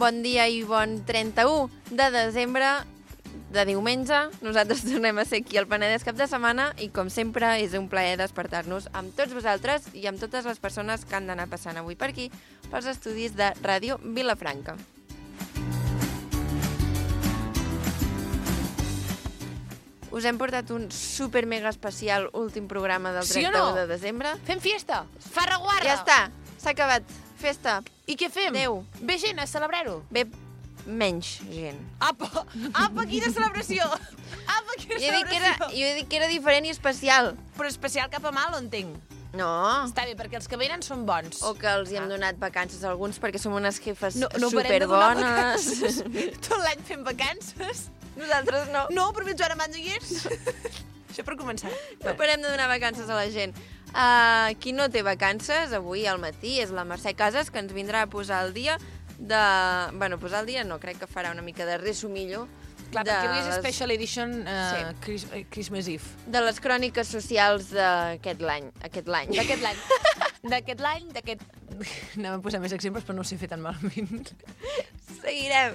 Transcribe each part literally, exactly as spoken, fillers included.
Bon dia i bon trenta-u de desembre, de diumenge. Nosaltres tornem a ser aquí al Penedès cap de setmana i, com sempre, és un plaer despertar-nos amb tots vosaltres i amb totes les persones que han d'anar passant avui per aquí pels estudis de Ràdio Vilafranca. Us hem portat un super mega especial últim programa del trenta-u sí o no? de desembre. Fem fiesta! Farraguarra! Ja està, s'ha acabat. Festa. I què fem? Adéu. Ve gent a celebrar-ho? Ve menys gent. Apa! Apa, quina celebració! Apa, quina Jo he dit que era, celebració! jo he dit que era diferent i especial. Però especial cap a mal, entenc. No. Està bé, perquè els que venen són bons. O que els hi hem donat vacances a alguns perquè som unes jefes No, no parem de donar superbones. vacances. Tot l'any fem vacances. Nosaltres no. No, però fins ara m'han de llers. Això per començar. No parem de donar vacances a la gent. Uh, qui no té vacances, avui al matí, és la Mercè Casas, que ens vindrà a posar el dia de... Bueno, posar el dia no, crec que farà una mica de resumillo. Clar, de perquè avui és les- Special Edition uh, Sí. Chris, eh, Christmas Eve. De les cròniques socials d'aquest l'any. Aquest l'any. D'aquest l'any. D'aquest l'any, d'aquest... Anem a posar més exemples, però no ho sé fer tan malament. Seguirem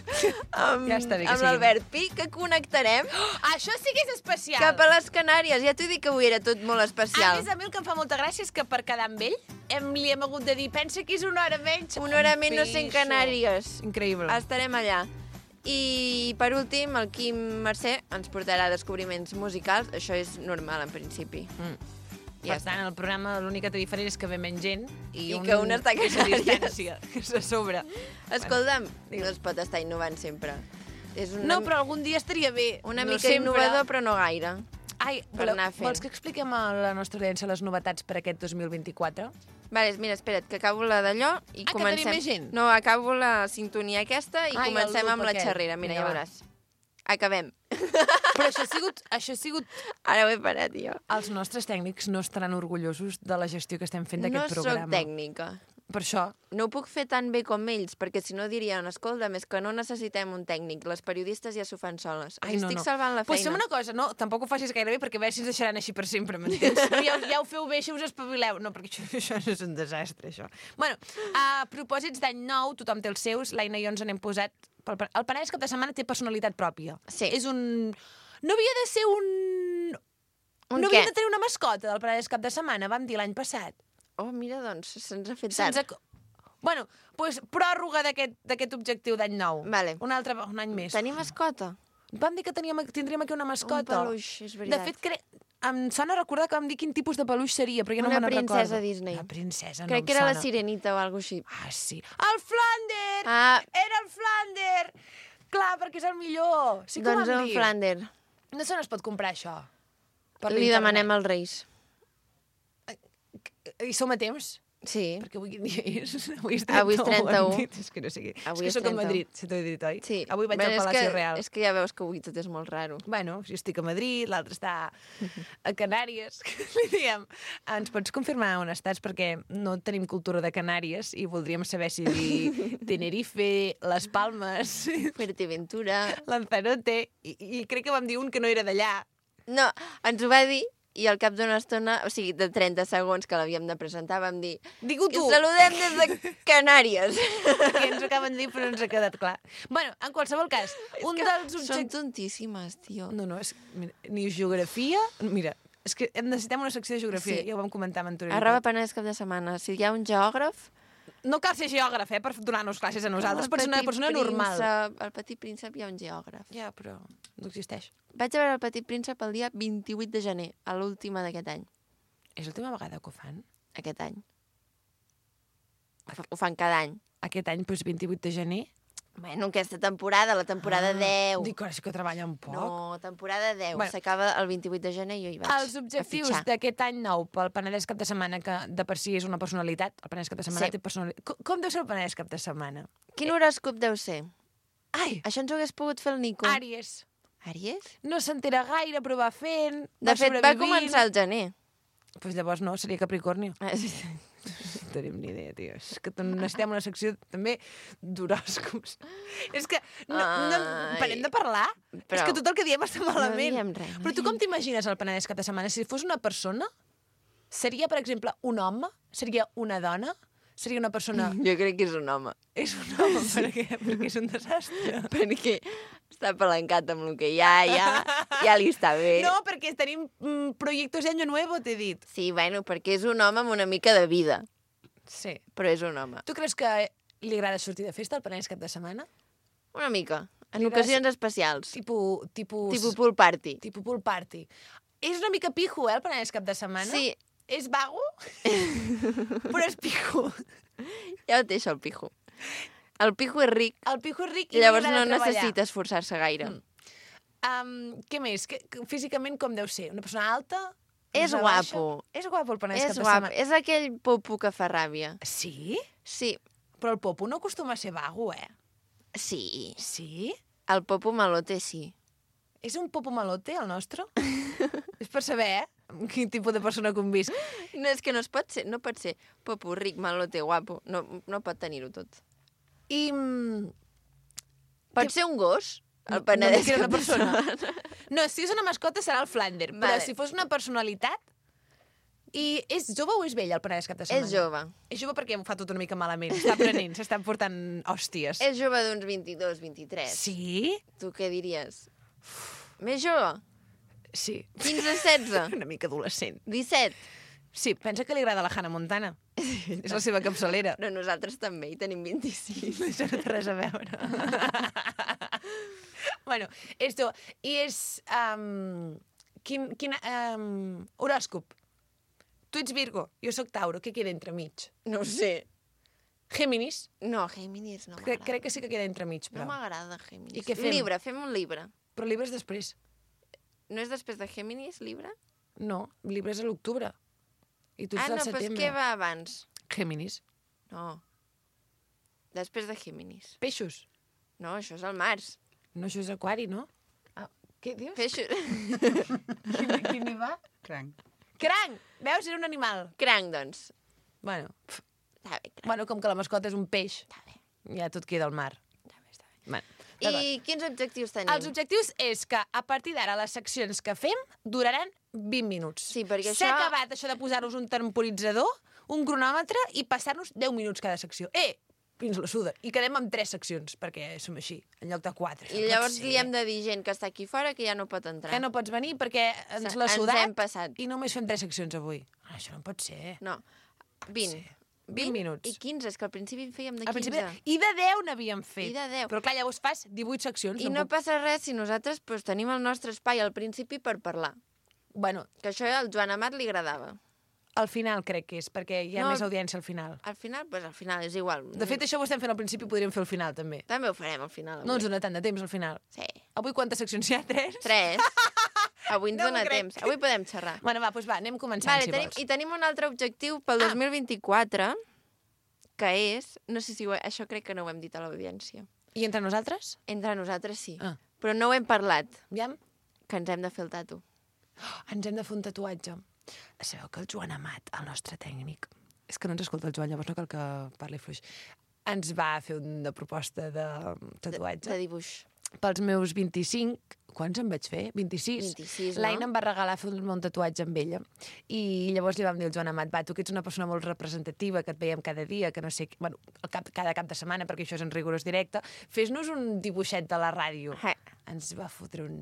amb, Ja està bé que amb seguim. l'Albert Pi, que connectarem Oh, això sí que és especial! cap a les Canàries. Ja t'ho dic que avui era tot molt A especial. més, a mi el que em fa molta gràcia és que per quedar amb ell hem, li hem hagut de dir pensa que és una hora menys. Una hora menys no sent Pixo. Canàries. Increïble. Estarem allà. I, per últim, el Quim Mercè ens portarà descobriments musicals. Això és normal, en principi. Mm. Ja Per tant, el programa l'únic que té diferent és que ve menys gent i, I que un està a és a Canàries. distància, que és a sobre. Escolta'm, no es pot estar innovant sempre. És una, No, però algun dia estaria bé. una no mica sempre. innovador, però no gaire. Ai, per voleu- anar fent. vols que expliquem a la nostra audiència les novetats per aquest dos mil vint-i-quatre? Vale, mira, espera't, que acabo la d'allò i Ah, que comencem... tenim més gent? No, acabo la sintonia aquesta i Ai, el comencem loop amb la aquest. xerrera. Mira, Vinga, ja va. veuràs. Acabem. Però això ha sigut, això ha sigut... Ara ho he parat, jo. Els nostres tècnics no estaran orgullosos de la gestió que estem fent No d'aquest sóc programa. tècnica. Per això, No ho puc fer tan bé com ells, perquè si no dirien, escolta, més que no necessitem un tècnic, les periodistes ja s'ho fan soles. ai, Els no, estic no. salvant la Pues feina. fem una cosa, no, tampoc ho facis gaire bé, perquè a veure si ens deixaran així per sempre, m'entens? No, ja, ja ho feu bé, així us espavileu. No, perquè això, això és un desastre, això. Bueno, a propòsits d'any nou, tothom té els seus, l'Aina i jo ens n'hem posat... pel- El Penedès cap de setmana té personalitat pròpia. Sí. És un... No havia de ser un... Un no què? havia de tenir una mascota del Penedès cap de setmana, vam dir l'any passat. Oh, mira, doncs, se'ns ha fet Se'ns tard. ha... Bueno, doncs pròrroga d'aquest d'aquest objectiu d'any nou. Vale. Un altre un any més. Tenir mascota? Vam dir que teníem, tindríem aquí una mascota. Un peluix, és De veritat. fet, cre... em sona recordar que vam dir quin tipus de peluix seria, però jo no Una me'n recordo. princesa Disney. Una princesa, no Crec em que era la sona. Sirenita o alguna així. Ah, sí. El Flander! Ah, Era el Flander! Clar, perquè és el millor. Sí que ho doncs vam un dir. Flander. No se n'es pot comprar, això. Per Li l'internet. demanem als Reis. I som a temps? Sí. Perquè avui quin dia és? Avui és Avui és trenta-u. hem dit. És que no sé què. Avui és és que sóc a trenta-u. Madrid, si t'ho he dit, oi? Sí. Avui vaig Bé, al és Palacio que, Real. És que ja veus que avui tot és molt raro. Bueno, jo estic a Madrid, l'altre està a Canàries. Li diem, ens pots confirmar on estàs? Perquè no tenim cultura de Canàries i voldríem saber si dir Tenerife, Les Palmes, Fuerteventura... Lanzarote, i, i crec que vam dir un que no era d'allà. No, ens ho va dir i al cap d'una estona, o sigui, de trenta segons que l'havíem de presentar, vam dir Digue-ho que tu! saludem des de Canàries. Que ens ho acaben de dir, però no ens ha quedat clar. Bueno, en qualsevol cas, un dels Són objectius... tontíssimes, tio. No, no, és... Mira, ni geografia... Mira, és que necessitem una secció de geografia, Sí. ja ho vam comentar amb anterioritat. Arroba Penedès cap de setmana. Si hi ha un geògraf... No cal ser geògraf, eh, per donar-nos classes a nosaltres, el per ser una Petit persona normal. Príncep, al Petit Príncep hi ha un geògraf. Ja, però no existeix. Vaig a veure el Petit Príncep el dia vint-i-vuit de gener, a l'última d'aquest any. És l'última vegada que ho fan? Aquest any. Ho fa- Ho fan cada any. Aquest any, doncs, vint-i-vuit de gener? Bueno, aquesta temporada, la temporada deu. Dic, ara sí que treballen poc. No, temporada deu. Bueno. S'acaba el vint-i-vuit de gener i jo hi vaig Els objectius a fitxar. d'aquest any nou pel Penedès cap de setmana, que de per si és una personalitat, el Penedès cap de setmana Sí. té personalitat. Com, com deu ser el Penedès cap de setmana? Quin horòscop deu ser? Ai, Això ens ho hagués pogut fer el Nico. Àries. Àries? No s'entera gaire, però va fent, De va fet, va sobrevivint. començar el gener. Doncs pues llavors no, seria Capricorni. Ah, sí. No tenim ni idea, tio. És que necessitem una secció també d'horòscops. És que no, no, Ai. parem de parlar. Però És que tot el que diem està malament. diem res, no Però tu com diem- t'imagines el Penedès cap de setmana? Si fos una persona, seria, per exemple, un home? Seria una dona? seria una persona... Jo crec que és un home. És un home, per què? Perquè és un desastre. Perquè està palancat amb el que hi ha, ja, ja li està bé. No, perquè tenim mm, projectes de año nuevo, t'he dit. Sí, bueno, perquè és un home amb una mica de vida. Sí. Però és un home. Tu creus que li agrada sortir de festa al Penedès cap de setmana? Una mica. En Li ocasions agrada- especials. Tipo... Tipus... Tipus pool party. Tipo pool party. És una mica pijo, eh, el Penedès cap de setmana? Sí, És vago, però és pijo. ja ho deixo el pijo. El pijo és ric, El pijo és ric i llavors li no agrada treballar. necessita esforçar-se gaire. Mm. Um, què més? Que, que, físicament com deu ser? Una persona alta? És Una guapo. Baixa? És guapo el Penedès És cap de guap, setmana. és aquell popo que fa ràbia. Sí? Sí, Però el popo no acostuma a ser vago, eh? sí. Sí? El popo malote sí. És un popo malote, el nostre? És per saber, eh? Quin tipus de persona convisc. No, és que no es pot ser, no pot ser popo, ric, malote, guapo. No, no pot tenir-ho tot. I... mm, Pot Que- ser un gos, el no Penedès dic que era cap una de persona. setmana. No, si és una mascota serà el Flander, però Vale. si fos una personalitat... I és jove o és vell el Penedès cap de setmana? És jove. És jove perquè ho fa tot una mica malament. Està aprenent, s'estan portant hòsties. És jove d'uns vint-i-dos, vint-i-tres. Sí? Tu què diries? Més jove? Sí. quinze, setze? Una mica adolescent. disset? Sí, pensa que li agrada la Hannah Montana. És la seva capçalera. No, nosaltres també, hi tenim vint-i-sis. Això no té res a veure. Bueno, esto, i és... Um, quin, quin um, horòscop? Tu ets Virgo, jo sóc Tauro, què queda entremig? No ho sé. Géminis? No, Géminis no Crec, m'agrada. crec que sí que queda entremig, No però. m'agrada Géminis. I què fem? Libra, fem un Libra. Però Libra és després. No és després de Géminis, Libra? No, Libra és a l'octubre. I tu ets Ah, del no, però setembre. què va abans? Géminis. No. Després de Géminis. Peixos. No, això és el març. No, això és aquari, no? Ah, què dius? Peixos... Quin, quin hi va? Cranc. Cranc! Veus? Era un animal. Cranc, doncs. Bueno, pf, Està bé, cranc. bueno, com que la mascota és un peix, Està bé, ja tot queda al mar. està bé, està bé. Bueno, d'acord. I quins objectius tenim? Els objectius és que a partir d'ara les seccions que fem duraran vint minuts. Sí, perquè S'ha això- acabat això de posar-nos un temporitzador, un cronòmetre i passar-nos deu minuts cada secció. Eh, fins la suda. I quedem amb tres seccions, perquè som així, en lloc de quatre. I llavors li hem de dir gent que està aquí fora que ja no pot entrar. Que no pots venir perquè ens Se- l'ha ens sudat hem passat. i només fem tres seccions avui. Ah, això no pot ser. No, vint. Sí. vint minuts. I quinze, és que al principi en fèiem de Al quinze. principi... I de deu n'havíem fet. I de deu. Però clar, llavors fas divuit seccions. I no passa res si nosaltres pues, tenim el nostre espai al principi per parlar. Bueno, Que això al Joan Amat li agradava. al final crec que és, perquè hi ha No, més audiència al final. Al final, pues, al final és igual. De fet, això ho estem fent al principi, podríem fer al final, també. També ho farem al final. Avui. No ens dona tant de temps, al final. Sí. Avui quantes seccions hi ha? Tres? Tres. Avui ens No m'ho dona crec. temps. Avui podem xerrar. Bueno, va, doncs va, anem començant, Vale, si tenim, vols. I tenim un altre objectiu pel Ah. dos mil vint-i-quatre, que és... No sé si ho, això crec que no ho hem dit a l'audiència. I entre nosaltres? Entre nosaltres sí. Ah. Però no ho hem parlat, Aviam. que ens hem de fer el tatu. Oh, ens hem de fer un tatuatge. Sabeu que el Joan Amat, el nostre tècnic, és que no ens escolta el Joan, llavors no cal que parli fluix, ens va fer una proposta de tatuatge. De dibuix. Pels meus vint-i-cinc, quants em vaig fer? vint-i-sis. vint-i-sis, no? L'Aina em va regalar fer un tatuatge amb ella. I llavors li vam dir al Joan Amat, va, tu que ets una persona molt representativa, que et veiem cada dia, que no sé... Bueno, el cap, cada cap de setmana, perquè això és en rigorós directe, fes-nos un dibuixet de la ràdio. Eh. Ens va fotre un...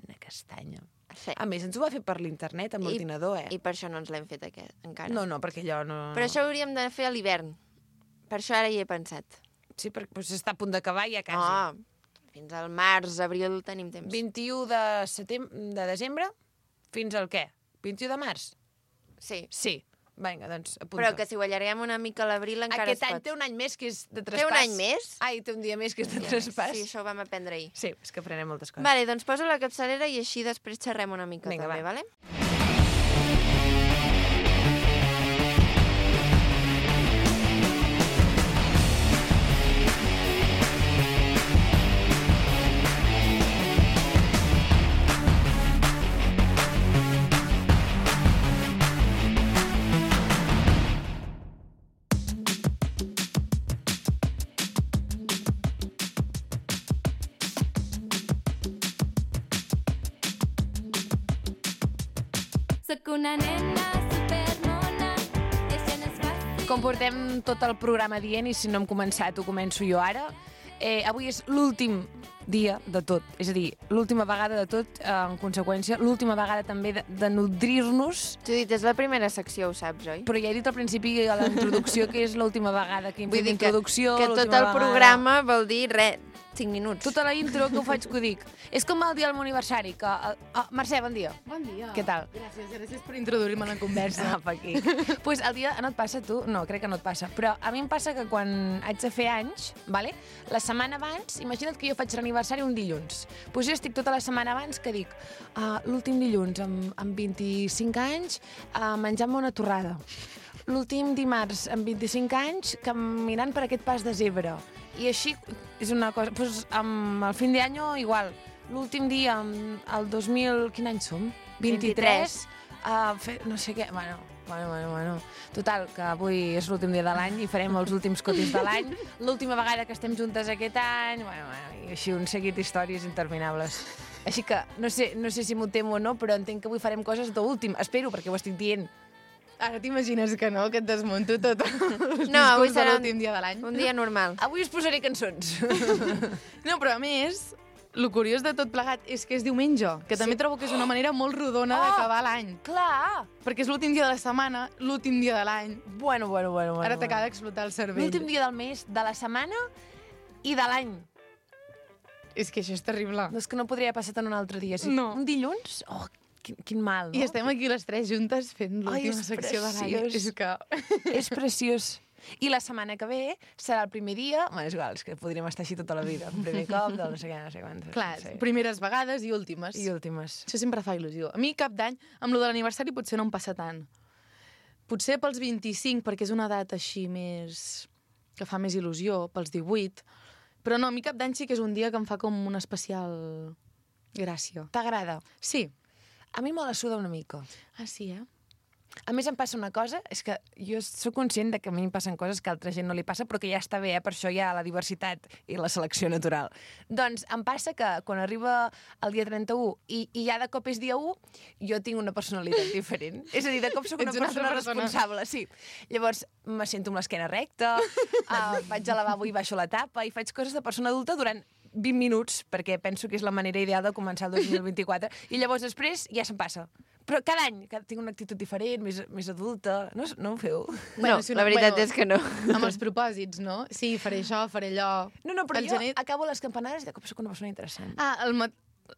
una castanya. Sí. A més, ens ho va fer per l'internet, amb l'ordinador, eh? I per això no ens l'hem fet aquest, encara. No, no, perquè allò no... Però això ho hauríem de fer a l'hivern. Per això ara hi he pensat. Sí, perquè doncs, està a punt d'acabar ja quasi. Oh, fins al març, abril tenim temps. vint-i-u de setembre, de desembre, fins al què? vint-i-u de març? Sí. Sí. Vinga, doncs apunta. Però que si ho allarguem una mica a l'abril encara Aquest es any pot. té un any més que és de Té traspàs. un any més? Ai, té un dia més que és de traspàs. Sí, això ho vam aprendre ahir. Sí, és que aprenem moltes coses. Vale, doncs poso la capçalera i així després xerrem una mica Vinga, també, va. vale? Soc una nena supermona i això no és fàcil. com portem tot el programa dient, i si no hem començat ho començo jo ara, eh, avui és l'últim dia de tot. És a dir, l'última vegada de tot, eh, en conseqüència, l'última vegada també de, de nodrir-nos. Judit, és la primera secció, ho saps, oi? Però ja he dit al principi a la introducció que és l'última vegada que hem fet introducció. Que, que tot el vegada... programa vol dir res, cinc minuts. Tota la intro que ho faig que ho dic. És com el dia del meu aniversari, que... Oh, Mercè, bon dia. Bon dia. Què tal? Gràcies, gràcies per introduir-me en la conversa. Apa, aquí. Doncs pues el dia no et passa a tu? No, crec que no et passa. Però a mi em passa que quan haig de fer anys, vale? La setmana abans, imagina't que jo faig l'aniversari un dilluns. Doncs pues jo estic tota la setmana abans que dic uh, l'últim dilluns, amb, amb vint-i-cinc anys, uh, menjant-me una torrada. L'últim dimarts, amb vint-i-cinc anys, caminant per aquest pas de zebra. I així és una cosa... Pues, amb el fin d'any igual. L'últim dia, el dos mil... Quin any som? vint-i-tres. Uh, fer, no sé què... Bueno, bueno, bueno, bueno. Total, que avui és l'últim dia de l'any i farem els últims cotis de l'any. L'última vegada que estem juntes aquest any. Bueno, bueno, i així un seguit d'històries interminables. Així que no sé, no sé si m'ho temo o no, però entenc que avui farem coses d'últim. Espero, perquè ho estic dient. Ara t'imagines que no, que et desmunto tot el no, avui serà l'últim dia de l'any. Un dia normal. Avui us posaré cançons. No, però a més, el curiós de tot plegat és que és diumenge, que també Sí. trobo que és una manera molt rodona Oh! d'acabar l'any. Clar! Perquè és l'últim dia de la setmana, l'últim dia de l'any. Bueno, bueno, bueno. bueno Ara bueno. t'acaba d'explotar el cervell. L'últim dia del mes, de la setmana i de l'any. És que això és terrible. No, és que no podria haver passat en un altre dia. Si No. Un dilluns? Oh, quin, quin mal, no? I estem aquí les tres juntes fent l'última és secció de l'any. preciós. És que... És preciós. I la setmana que ve serà el primer dia... Bueno, és igual, és que podríem estar així tota la vida. Un primer cop del no sé què, no sé quantes. Clar, sí. primeres vegades i últimes. I últimes. Això sempre fa il·lusió. A mi cap d'any, amb lo de l'aniversari potser no em passa tant. Potser pels vint-i-cinc, perquè és una edat així més... que fa més il·lusió, pels divuit. Però no, a mi cap d'any sí que és un dia que em fa com una especial gràcia. T'agrada? Sí. A mi me la suda una mica. Ah, sí, eh? A més, em passa una cosa, és que jo sóc conscient de que a mi em passen coses que a altra gent no li passa, però que ja està bé, eh? Per això hi ha la diversitat i la selecció natural. Doncs em passa que quan arriba el dia trenta-u i, i ja de cop és dia u, jo tinc una personalitat diferent. És a dir, de cop sóc una Ets una persona, altra persona. responsable, sí. Llavors, me sento amb l'esquena recta, uh, vaig al lavabo i baixo la tapa i faig coses de persona adulta durant vint minuts, perquè penso que és la manera ideal de començar el dos mil vint-i-quatre, i llavors després ja se'm passa. Però cada any que tinc una actitud diferent, més, més adulta. No, no ho feu? No, si la veritat bueno, és que no. Amb els propòsits, no? Sí, faré això, faré allò... No, no, però El jo gener- acabo les campanades i de cop soc una persona interessant. Ah, el ma...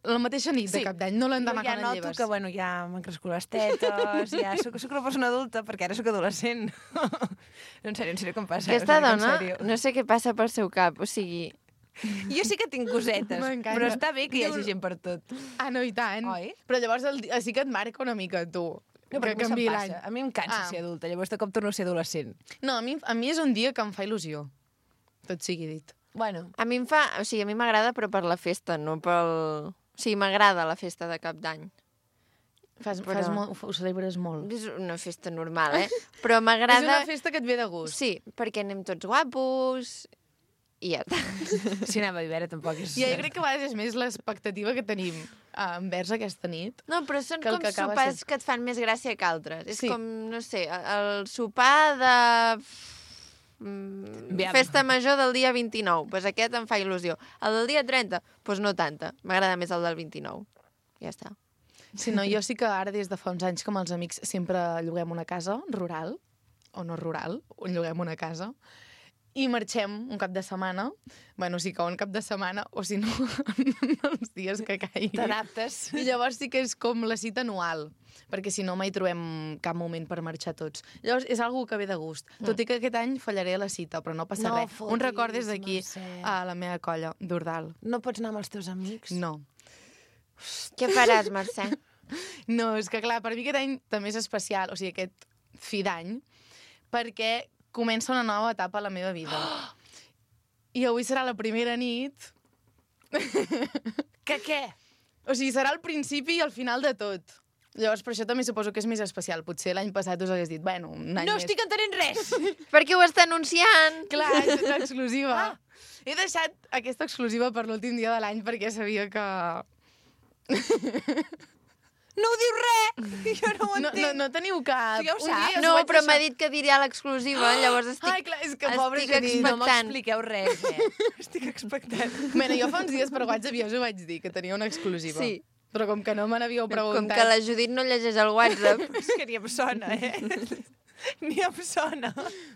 la mateixa nit Sí. de cap d'any, no l'endemà jo ja quan et noto lleves. que, bueno, ja m'han crescut les tetes, ja soc, soc una persona adulta, perquè ara soc adolescent. No, en sèrio, en sèrio, com passa? Aquesta O sigui, en dona, sèrio. no sé què passa pel seu cap, o sigui... Jo sí que tinc cosetes, M'encanta. però està bé que hi hagi Diu- gent per tot. Ah, no, i tant. Oi? Però llavors el... di- sí que et marca una mica, tu. No, que perquè a mi se'm canviï passa. l'any. A mi em cansa Ah. ser adulta, llavors de cop torno a ser adolescent. No, a mi, a mi és un dia que em fa il·lusió. Tot sigui dit. Bueno, A mi em fa... O sigui, a mi m'agrada, però per la festa, no pel... O sigui, m'agrada la festa de cap d'any. Fas, Però- fas molt, ho celebres molt. És una festa normal, eh? Però És m'agrada... una festa que et ve de gust. Sí, perquè anem tots guapos i ja està. si anava a veure tampoc és... I jo crec que a vegades és més l'expectativa que tenim eh, envers aquesta nit. No, però són Que el com que acaba sopars sent- que et fan més gràcia que altres. És Sí. com, no sé, el sopar de... Mm, Aviam. festa major del dia vint-i-nou. Doncs pues aquest em fa il·lusió. El del dia trenta, doncs pues no tanta. M'agrada més el del vint-i-nou. Ja està. Si no, jo sí que ara, des de fa uns anys, com els amics, sempre lloguem una casa rural, o no rural, lloguem una casa, i marxem un cap de setmana, bueno, sí que un cap de setmana, o si no, els dies que caigui. T'adaptes. I llavors sí que és com la cita anual, perquè si no mai trobem cap moment per marxar tots. Llavors és algo que ve de gust. Mm. Tot i que aquest any fallaré a la cita, però no passa No res. fotis, Un record des d'aquí Mercè. a la meva colla d'Ordal. No pots anar amb els teus amics? No. Què faràs, Mercè? No, és que clar, per mi aquest any també és especial, o sigui, aquest fi d'any, perquè comença una nova etapa a la meva vida. I avui serà la primera nit... Que què? O sigui, serà el principi i el final de tot. Llavors, per això també suposo que és més especial. Potser l'any passat us hagués dit, bueno, un any No més. estic entenent res! Perquè ho està anunciant. Clar, és una exclusiva. Ah. He deixat aquesta exclusiva per l'últim dia de l'any perquè sabia que... No ho diu res! Jo no ho No, entenc. no, no teniu cap... Tu ja ho Un saps. dia No, us vaig però m'ha deixar- dit que diré a l'exclusiva, llavors estic... Ai, clar, és que pobre estic Judit. No expectant. m'expliqueu res, eh? Estic expectant. Bueno, jo fa uns dies per WhatsApp ja us ho vaig dir, que tenia una exclusiva. Sí. Però com que no me n'havíeu preguntat... Com que la Judit no llegeix el WhatsApp. És que ni em sona, eh? Ni em sona.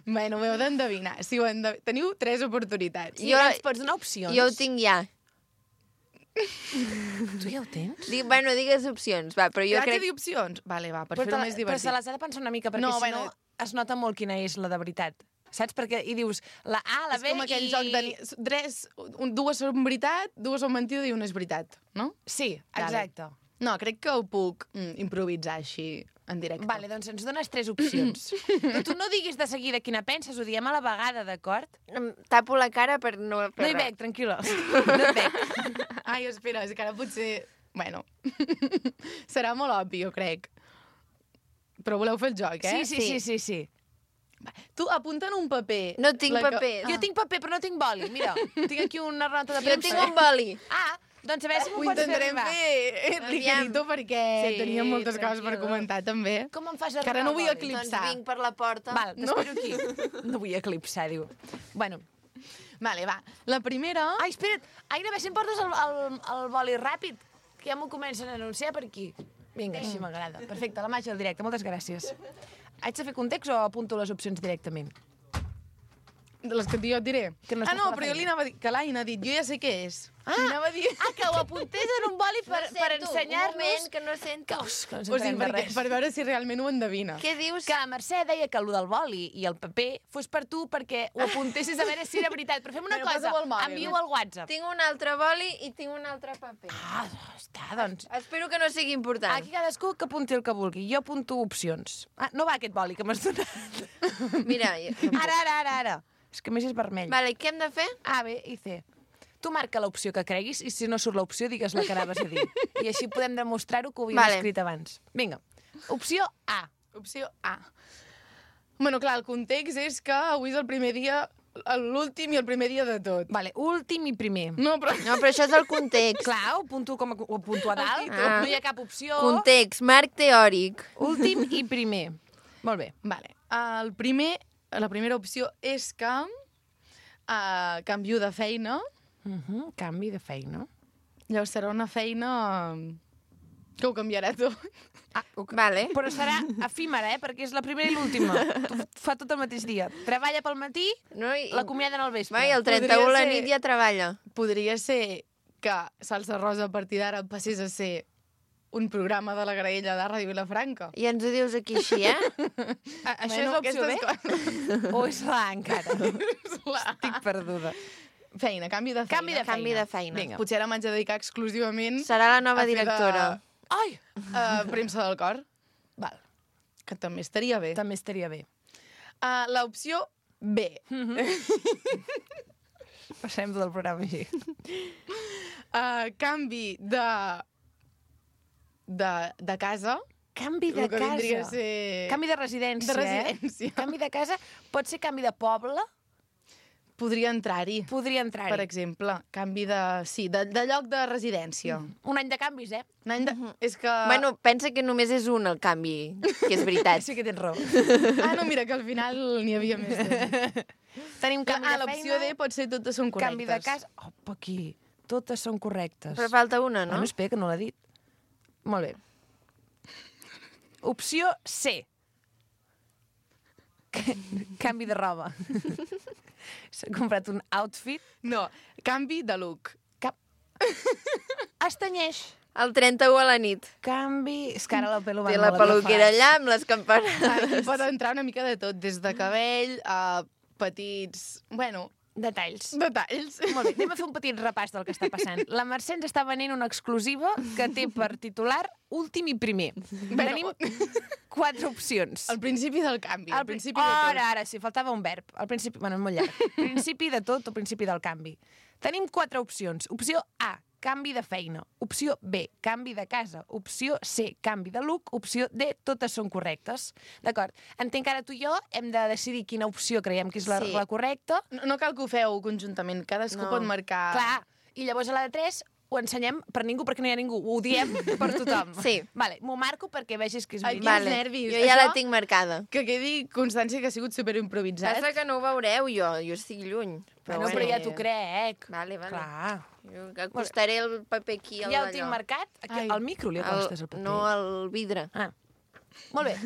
Bueno, ho heu d'endevinar. Si ho endev... Teniu tres oportunitats. I Jo- ens pots donar opcions? Jo ho tinc ja. Tu ja ho tens? Dic, bueno, digues opcions, va, però jo Jo crec... crec... dir opcions? Vale, va, per Però, fer-ho te la- més però divertit. se les ha de pensar una mica, perquè No, si bueno. no es nota molt quina és la de veritat. Saps? Perquè i dius la A, la És B com aquell i... joc de... ni- Tres, un, dues són veritat, dues són mentida i una és veritat, no? Sí, Vale. exacte. No, crec que ho puc mm, improvisar així, en directe. Vale, doncs ens dones tres opcions. Però tu no diguis de seguida quina penses, ho diem a la vegada, d'acord? Em tapo la cara per no... No Per hi res. veig, tranquil·la. No et veig. Ai, espera, és que ara potser... Bueno, serà molt obvi, jo crec. Però voleu fer el joc, eh? Sí, sí, sí, sí, sí. Tu apunta en un paper. No tinc la que- paper. Jo tinc paper, però no tinc boli. Mira, tinc aquí una nota de Jo premsa. tinc un boli. Ah, doncs a veure si Ho m'ho pots fer intentarem arribar. fer Aviam. ligerito perquè Sí, teníem moltes coses per tranquil·la. comentar, també. Com em fas Que arribar ara no el vull boli? eclipsar. Doncs vinc per la porta. Val, t'espero aquí. No vull eclipsar, diu. Bueno. Vale, va. La primera... Ai, espera't. Aina, a veure si em portes el, el, el boli ràpid, que ja m'ho comencen a anunciar per aquí. Vinga, així m'agrada. Perfecte, la màgia del directe. Moltes gràcies. Haig de fer context o apunto les opcions directament? De les que jo et diré. Que no ah, estàs no, per la però jo feina. li anava a dir... Que l'Aina ha dit, jo ja sé què és. Ah, Li anava a dir... ah, que ho apuntés en un boli per, No per sento, un ensenyar-nos... moment, que no sento. Que, us, que no ens O sigui, entenem de perquè, res. per veure si realment ho endevina. Què dius? Que la Mercè deia que el del boli i el paper fos per tu perquè ho apuntessis a veure si era veritat. Però fem una Bueno, cosa, posa-ho al mòbil. envia-ho al WhatsApp. Tinc un altre boli i tinc un altre paper. Ah, està, doncs. Espero que no sigui important. Aquí cadascú que apunti el que vulgui. Jo apunto opcions. Ah, no va aquest boli que m'has donat. Mira, jo... Ara, ara, ara, ara. És que a més és vermell. Vale, què hem de fer? A, B i C. Tu marca l'opció que creguis i si no surt l'opció digues la que anaves a dir. I així podem demostrar-ho que ho havíem Vale. escrit abans. Vinga. Opció A. Opció A. Bueno, clar, el context és que avui és el primer dia, l'últim i el primer dia de tot. Vale, últim i primer. No, però... No, però això és el context. Clar, ho apunto, com a, ho apunto a dalt. Ah. No hi ha cap opció. Context, marc teòric. Últim i primer. Molt bé. Vale. El primer, la primera opció és que uh, canvio de feina. Uh -huh. Canvi de feina. Llavors serà una feina que ho canviarà tot. Ah, ok. Vale. Però serà efímera, eh? Perquè és la primera i l'última. Fa tot el mateix dia. Treballa pel matí, No, i... l'acomiaden al vespre. Va, i el trenta-u a la Podria ser- nit ja treballa. Podria ser que Salsa Rosa a partir d'ara passés a ser un programa de la graella de Ràdio Vilafranca. I ens ho dius aquí així, eh? A, això Bueno, és l'opció B? aquestes O és la A encara? La... Estic perduda. Feina, canvi de feina. Canvi de Canvi de feina. Vinga. Potser ara m'haig de dedicar exclusivament Serà la nova a fer de- directora. Ai! a premsa del cor, Val, que també estaria bé. també estaria bé. Uh, L'opció B. Passem del programa així. Uh, canvi de... de, de casa. Canvi de El que vindria a casa. ser... Canvi de residència, De residència. eh? Canvi de casa. Pot ser canvi de poble? Podria entrar-hi, Podria entrar-hi. per exemple. Canvi de... Sí, de, de lloc de residència. Un any de canvis, eh? Un any de... És que... Bueno, pensa que només és un el canvi, que és veritat. Sí que tens raó. Ah, no, mira, que al final n'hi havia més. De... Tenim canvi Ah, de l'opció feina, D pot ser totes són correctes. canvi de casa... Opa, aquí. Totes són correctes. Però falta una, no? Bueno, espera, que no l'ha dit. Molt bé. Opció C. Canvi de roba. S'ha comprat un outfit. No, canvi de look. Cap... Es tenyeix. El trenta-u a la nit. Canvi... És que ara la pelo va Té la molt peluquera atrafats. allà amb les campanades. Aquí pot entrar una mica de tot, des de cabell a petits... Bueno, Detalls. detalls. Molt bé, anem a fer un petit repàs del que està passant. La Mercè ens està venent una exclusiva que té per titular últim i primer. Bueno. Tenim quatre opcions. Al principi del canvi, al Al principi pri- de tot. Ara, ara, sí, faltava un verb. Al principi, bueno, és molt llarg. Principi de tot o principi del canvi. Tenim quatre opcions. Opció A, canvi de feina. Opció B, canvi de casa. Opció C, canvi de look. Opció D, totes són correctes. D'acord. Entenc que ara tu i jo hem de decidir quina opció creiem que és la, Sí. la correcta. No, no cal que ho feu conjuntament, cadascú No. pot marcar... Clar. I llavors a la de tres ho ensenyem per ningú perquè no hi ha ningú, ho diem per tothom. Sí. Vale, m'ho marco perquè vegis que és Ai, veritat. quins nervis. Jo ja Això- la tinc marcada. Que quedi constància que ha sigut superimprovisat. Passa que no ho veureu jo, jo estic lluny. Però, bueno, però ja t'ho crec. Vale, vale. Clar. Jo acostaré el paper aquí al Ja ho d'allò. tinc marcat. Aquí, Ai. al micro li acostes el paper. No, al vidre. Ah. Molt bé.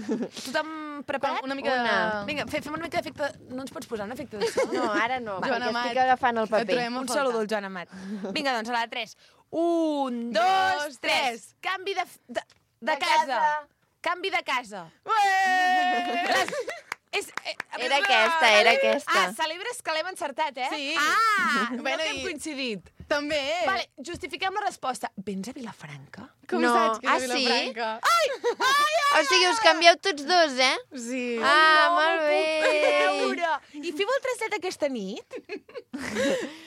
Tothom preparat? Una mica Una. de... Vinga, fe- fem una mica d'efecte... No ens pots posar un efecte de so? No, ara no, Joan perquè Amat. estic agafant el Et paper. trobem a Un faltar. saludo al Joan Amat. Vinga, doncs, a la tres. Un, dos, tres. Canvi de, de, de, De casa. casa. Canvi de casa. Ué! És, eh, Era aquesta, era aquesta. Ah, celebres que l'hem encertat, eh? Sí. Ah, Bueno, bueno, no que hem i- coincidit. També. Vale, justifiquem la resposta. Vens a Vilafranca? Com No. saps que és Ah, de sí? Vilafranca? O sigui, us canvieu tots dos, eh? Sí. Ah, no molt m'ho bé. puc creure. I feu el trasset aquesta nit?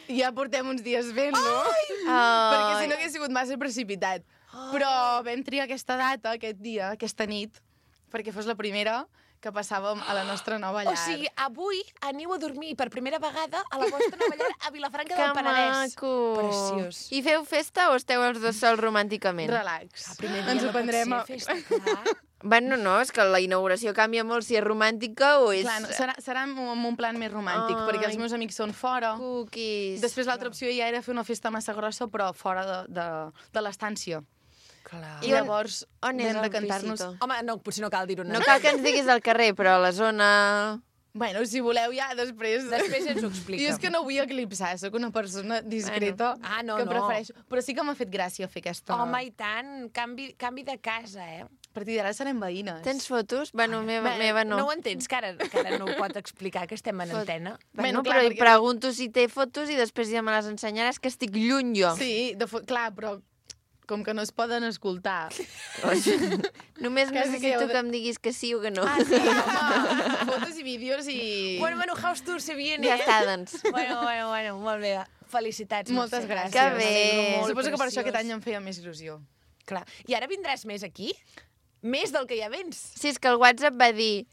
Ja portem uns dies fent-lo. Oh. Perquè si no hagués sigut massa precipitat. Però vam triar aquesta data, aquest dia, aquesta nit, perquè fos la primera que passàvem a la nostra nova llar. O sigui, avui aneu a dormir per primera vegada a la vostra nova llar a Vilafranca Que del Penedès. maco. Preciós. I feu festa o esteu els dos sols romànticament? Relax. El primer dia Ens ho no pot prendrem... ser a- festa, clar. Bueno, no, és que la inauguració canvia molt si és romàntica o és... Clar, no, serà, serà amb amb un plan més romàntic, Ai. perquè els meus amics són fora. Cookies. Després l'altra opció ja era fer una festa massa grossa, però fora de, de, de l'estància. Clar. I I on- llavors on és vam de el cantar-nos... pisito? Home, no, potser no cal dir-ho. No cal que ens diguis al carrer, però a la zona... Bueno, si voleu ja, després... Després ens ho explica. Jo és que no vull eclipsar, sóc una persona discreta Bueno. Ah, no, que no. prefereixo... Però sí que m'ha fet gràcia fer aquesta... Home, i tant, canvi, canvi de casa, eh? A partir d'ara serem veïnes. Tens fotos? Bueno, meva, Bé, meva no. No ho entens, que ara, que ara no ho pot explicar, que estem en Fot- antena. Bueno, Bueno, però clar, li perquè- pregunto si té fotos i després ja me les ensenyaràs, que estic lluny jo. Sí, de fo... clar, però com que no es poden escoltar. Només Quasi que necessito heu de- que em diguis que sí o que no. Ah, sí, home, fotos i vídeos i... Bueno, bueno, house tour se viene, Ja eh? està, doncs. Bueno, bueno, bueno, molt bé. Felicitats. Moltes Mercè. gràcies. Que bé. M'alegro molt, Suposo que per això preciós. aquest any em feia més il·lusió. Clar. I ara vindràs més aquí? Més del que ja vens. Sí, és que el WhatsApp va dir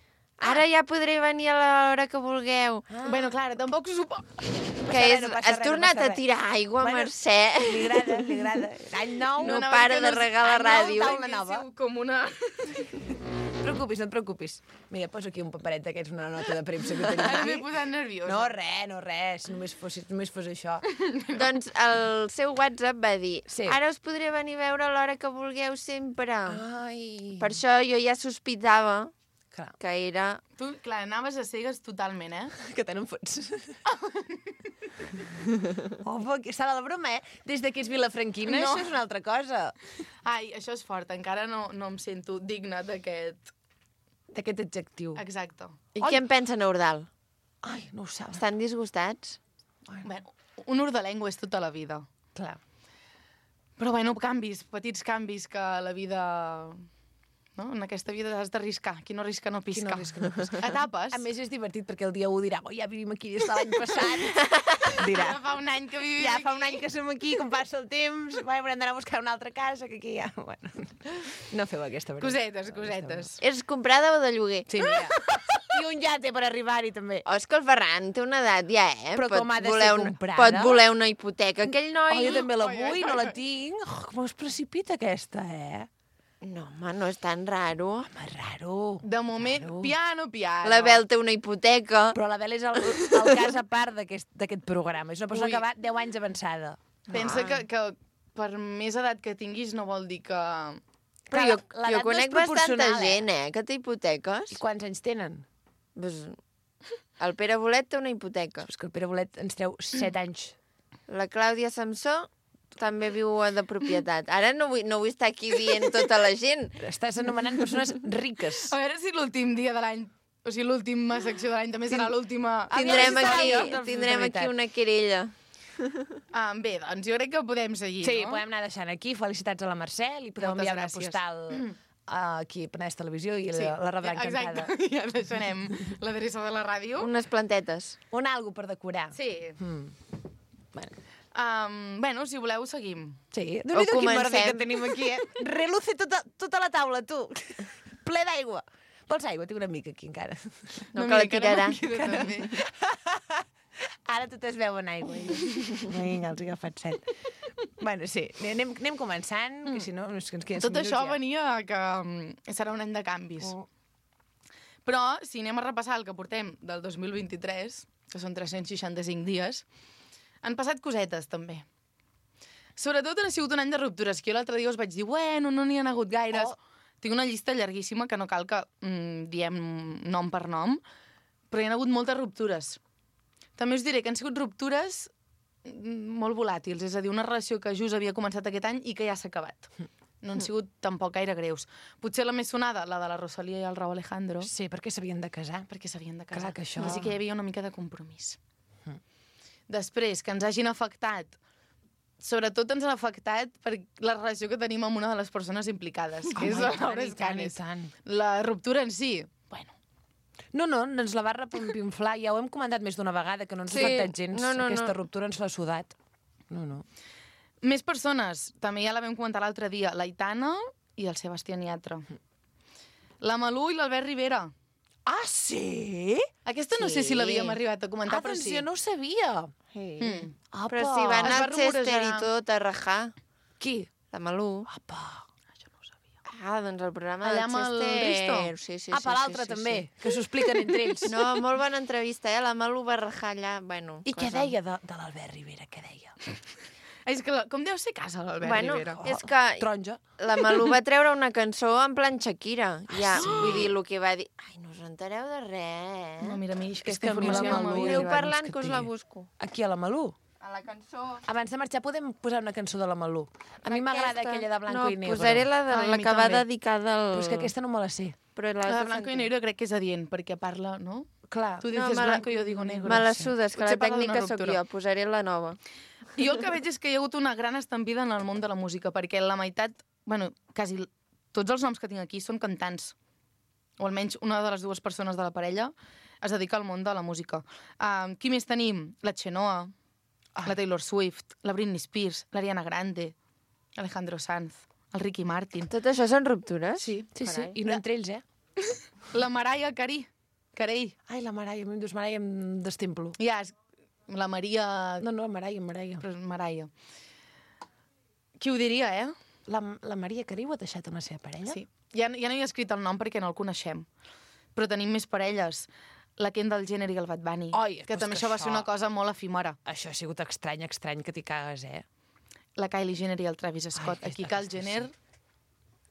ara ja podré venir a l'hora que vulgueu. Ah. Bueno, clar, tampoc supo... Que res, és, no passa has res, no tornat passa a res. tirar aigua, Bueno, Mercè. Li agrada, li agrada. Any nou. No anava para que de no- regar la Any nou, ràdio. taula nova. Com una... No et preocupis, no et preocupis. Mira, poso aquí un paperet d'aquests, una nota de premsa que tenim Ara m'he aquí. posat nerviosa. No, res, no, res. Només fos, només fos això. Doncs el seu WhatsApp va dir Sí. ara us podré venir a veure a l'hora que vulgueu sempre. Ai. Per això jo ja sospitava Clar, que era... Tu, clar, anaves a cegues totalment, eh? que te n'en fots. Home, que està de la broma, eh? Des de que és vilafranquina, No. això és una altra cosa. Ai, això és fort, encara no, no em sento digna d'aquest... D'aquest adjectiu. Exacte. I què en pensa Eudal? Ai, no ho saps. Estan disgustats? Bueno, un urdalengo és tota la vida. Clar. Però, bueno, canvis, petits canvis que la vida... No? En aquesta vida has d'arriscar. Qui no arrisca no pisca. Qui no arrisca no pisca. Etapes. A més, és divertit perquè el dia u dirà oh, ja vivim aquí des de l'any passat. Dirà. Ja fa un any que vivim Ja aquí. fa un any que som aquí, com passa el temps, bueno, haurem d'anar a buscar una altra casa, que aquí ja... Bueno, no feu aquesta broma. Cosetes, cosetes. És comprada o de lloguer? Sí, mira. I un llate per arribar-hi, també. Oh, és que el Ferran té una edat ja, eh? Però com ha de voler ser una- comprada? Pot voler una hipoteca. Aquell noi... Oh, jo també la Ai, ai, vull, ai, no la ai. tinc. Oh, com es precipita aquesta, eh? No, home, no és tan raro. Home, raro. De moment, Claro. piano, piano. La Bel té una hipoteca. Però la Bel és el, el cas a part d'aquest d'aquest programa. És una persona Ui. que va deu anys avançada. Pensa Ah. que, que per més edat que tinguis no vol dir que... Però Clar, jo, l'edat jo no és conec bastanta proporcional, eh? gent, eh, que té hipoteques. I quants anys tenen? Pues, el Pere Bolet té una hipoteca. És que el Pere Bolet ens treu set anys. La Clàudia Samsó també viu de propietat. Ara no vull, no vull estar aquí dient tota la gent. Estàs anomenant persones riques. A veure si l'últim dia de l'any, o sigui, l'última secció de l'any també serà l'última... Tindrem Aviam si aquí, serà la tindrem aquí veritat. una querella. Ah, bé, doncs jo crec que podem seguir, Sí, no? podem anar deixant aquí. Felicitats a la Mercè. Li podeu Moltes enviar una gràcies. postal uh, aquí a Penedès Televisió i Sí, la, la rebrà encantada. Exacte, ja deixarem l'adreça de la ràdio. Unes plantetes. Un algo per decorar. Sí. Mm. Bueno, Um, bueno, si voleu, seguim. sí. Déu-n'hi-do quin merder comencem. que tenim aquí, eh? Reluce tota, tota la taula, tu. Ple d'aigua. Vols aigua? Tinc una mica aquí encara. No, que la tirarà. També. Ara totes beuen aigua. Vinga, els he agafat set. Bueno, sí, anem, anem començant, que si no, és que ens queden Tot minuts això ja. venia que mm, serà un any de canvis. Oh. Però, si anem a repassar el que portem del dos mil vint-i-tres, que són tres-cents seixanta-cinc dies, han passat cosetes, també. Sobretot ha sigut un any de ruptures, que jo l'altre dia us vaig dir, bueno, no n'hi ha hagut gaires. Oh. Tinc una llista llarguíssima que no cal que mm, diem nom per nom, però hi ha hagut moltes ruptures. També us diré que han sigut ruptures mm, molt volàtils, és a dir, una relació que just havia començat aquest any i que ja s'ha acabat. No han sigut tampoc gaire greus. Potser la més sonada, la de la Rosalía i el Raúl Alejandro, Sí, perquè s'havien de casar. perquè s'havien de casar. Clar que això- Així que hi havia una mica de compromís. Després, que ens hagin afectat, sobretot ens han afectat per la relació que tenim amb una de les persones implicades, que és Home, la i tant, Laura i tant, i Escanes. tant. La ruptura en si, bueno, No, no, ens la va repimpinflar. Ja ho hem comentat més d'una vegada, que no ens Sí. ha afectat gens. No, no, Aquesta no. ruptura ens l'ha sudat. No, no. més persones, també ja la vam comentar l'altre dia, l'Aitana i el Sebastián Yatra. La Malú i l'Albert Rivera. Ah, sí? Aquesta no sé Sí. si l'havíem arribat a comentar, Ah, però doncs sí. jo no ho sabia. Mm. Apa. Però si van Es va al Chester rumorejar. i tot a rajar, Qui? la Malú. Apa. Això no ho sabia. Ah, doncs el programa Allà del amb el Chester... Risto? Sí, sí, ah, sí, per sí, l'altre sí, també, sí. que s'ho expliquen entre ells. No, molt bona entrevista, eh? La Malú va rajar allà, bueno... I què cosa. deia de, de l'Albert Rivera? Què deia? És que, la, com deu ser casa l'Albert Bueno, Rivera? és que Taronja. la Malú va treure una cançó en plan Shakira. Ja, vull dir, el que va dir... Ai, no us entereu de res, No, eh? mira, a mi que aquesta a mi la informació no Malú- m'havia Aneu arribat. parlant que que us la té. busco. Aquí a la Malú. A la cançó... Abans de marxar podem posar una cançó de la Malú. A mi m'agrada Aquesta. aquella de Blanco no, i Negro. posaré la, de, Ai, a la mi que va també. dedicada al... Però és que aquesta no me la sé. Però La l'has de Blanco i Negro crec que és adient, perquè parla, no? Clar. Tu No, dices me la- blanco i jo digo negro. Me la sí. sudes, que Potser la parla d'una tècnica sóc ruptura. jo. Posaré la nova. I jo el que veig és que hi ha hagut una gran estampida en el món de la música, perquè la meitat, bueno, quasi tots els noms que tinc aquí són cantants, o almenys una de les dues persones de la parella es dedica al món de la música. Uh, qui més tenim? La Chenoa, Ai. la Taylor Swift, la Britney Spears, l'Ariana Grande, Alejandro Sanz, el Ricky Martin, Tot això són ruptures? Sí. Sí, sí. Carai. I no entre ells, eh? la Mariah Carey, Carey, Ai, la Maraia. Em dius Maraia, em destemplo. ja, és la Maria... No, no, Maraia, Maraia. Però és Mariah. Qui ho diria, eh? La, la Maria Carey ho ha deixat amb la seva parella? Sí. Ja, ja no hi he escrit el nom perquè no el coneixem. Però tenim més parelles. La Kendall Jenner i el Bad Bunny. Ai, que però és també que això va ser això- una cosa molt efímera. Això ha sigut estrany, estrany, que t'hi cagues, eh? La Kylie Jenner i el Travis Scott. Ai, Aquí aquesta- Kylie aquesta Jenner... sí.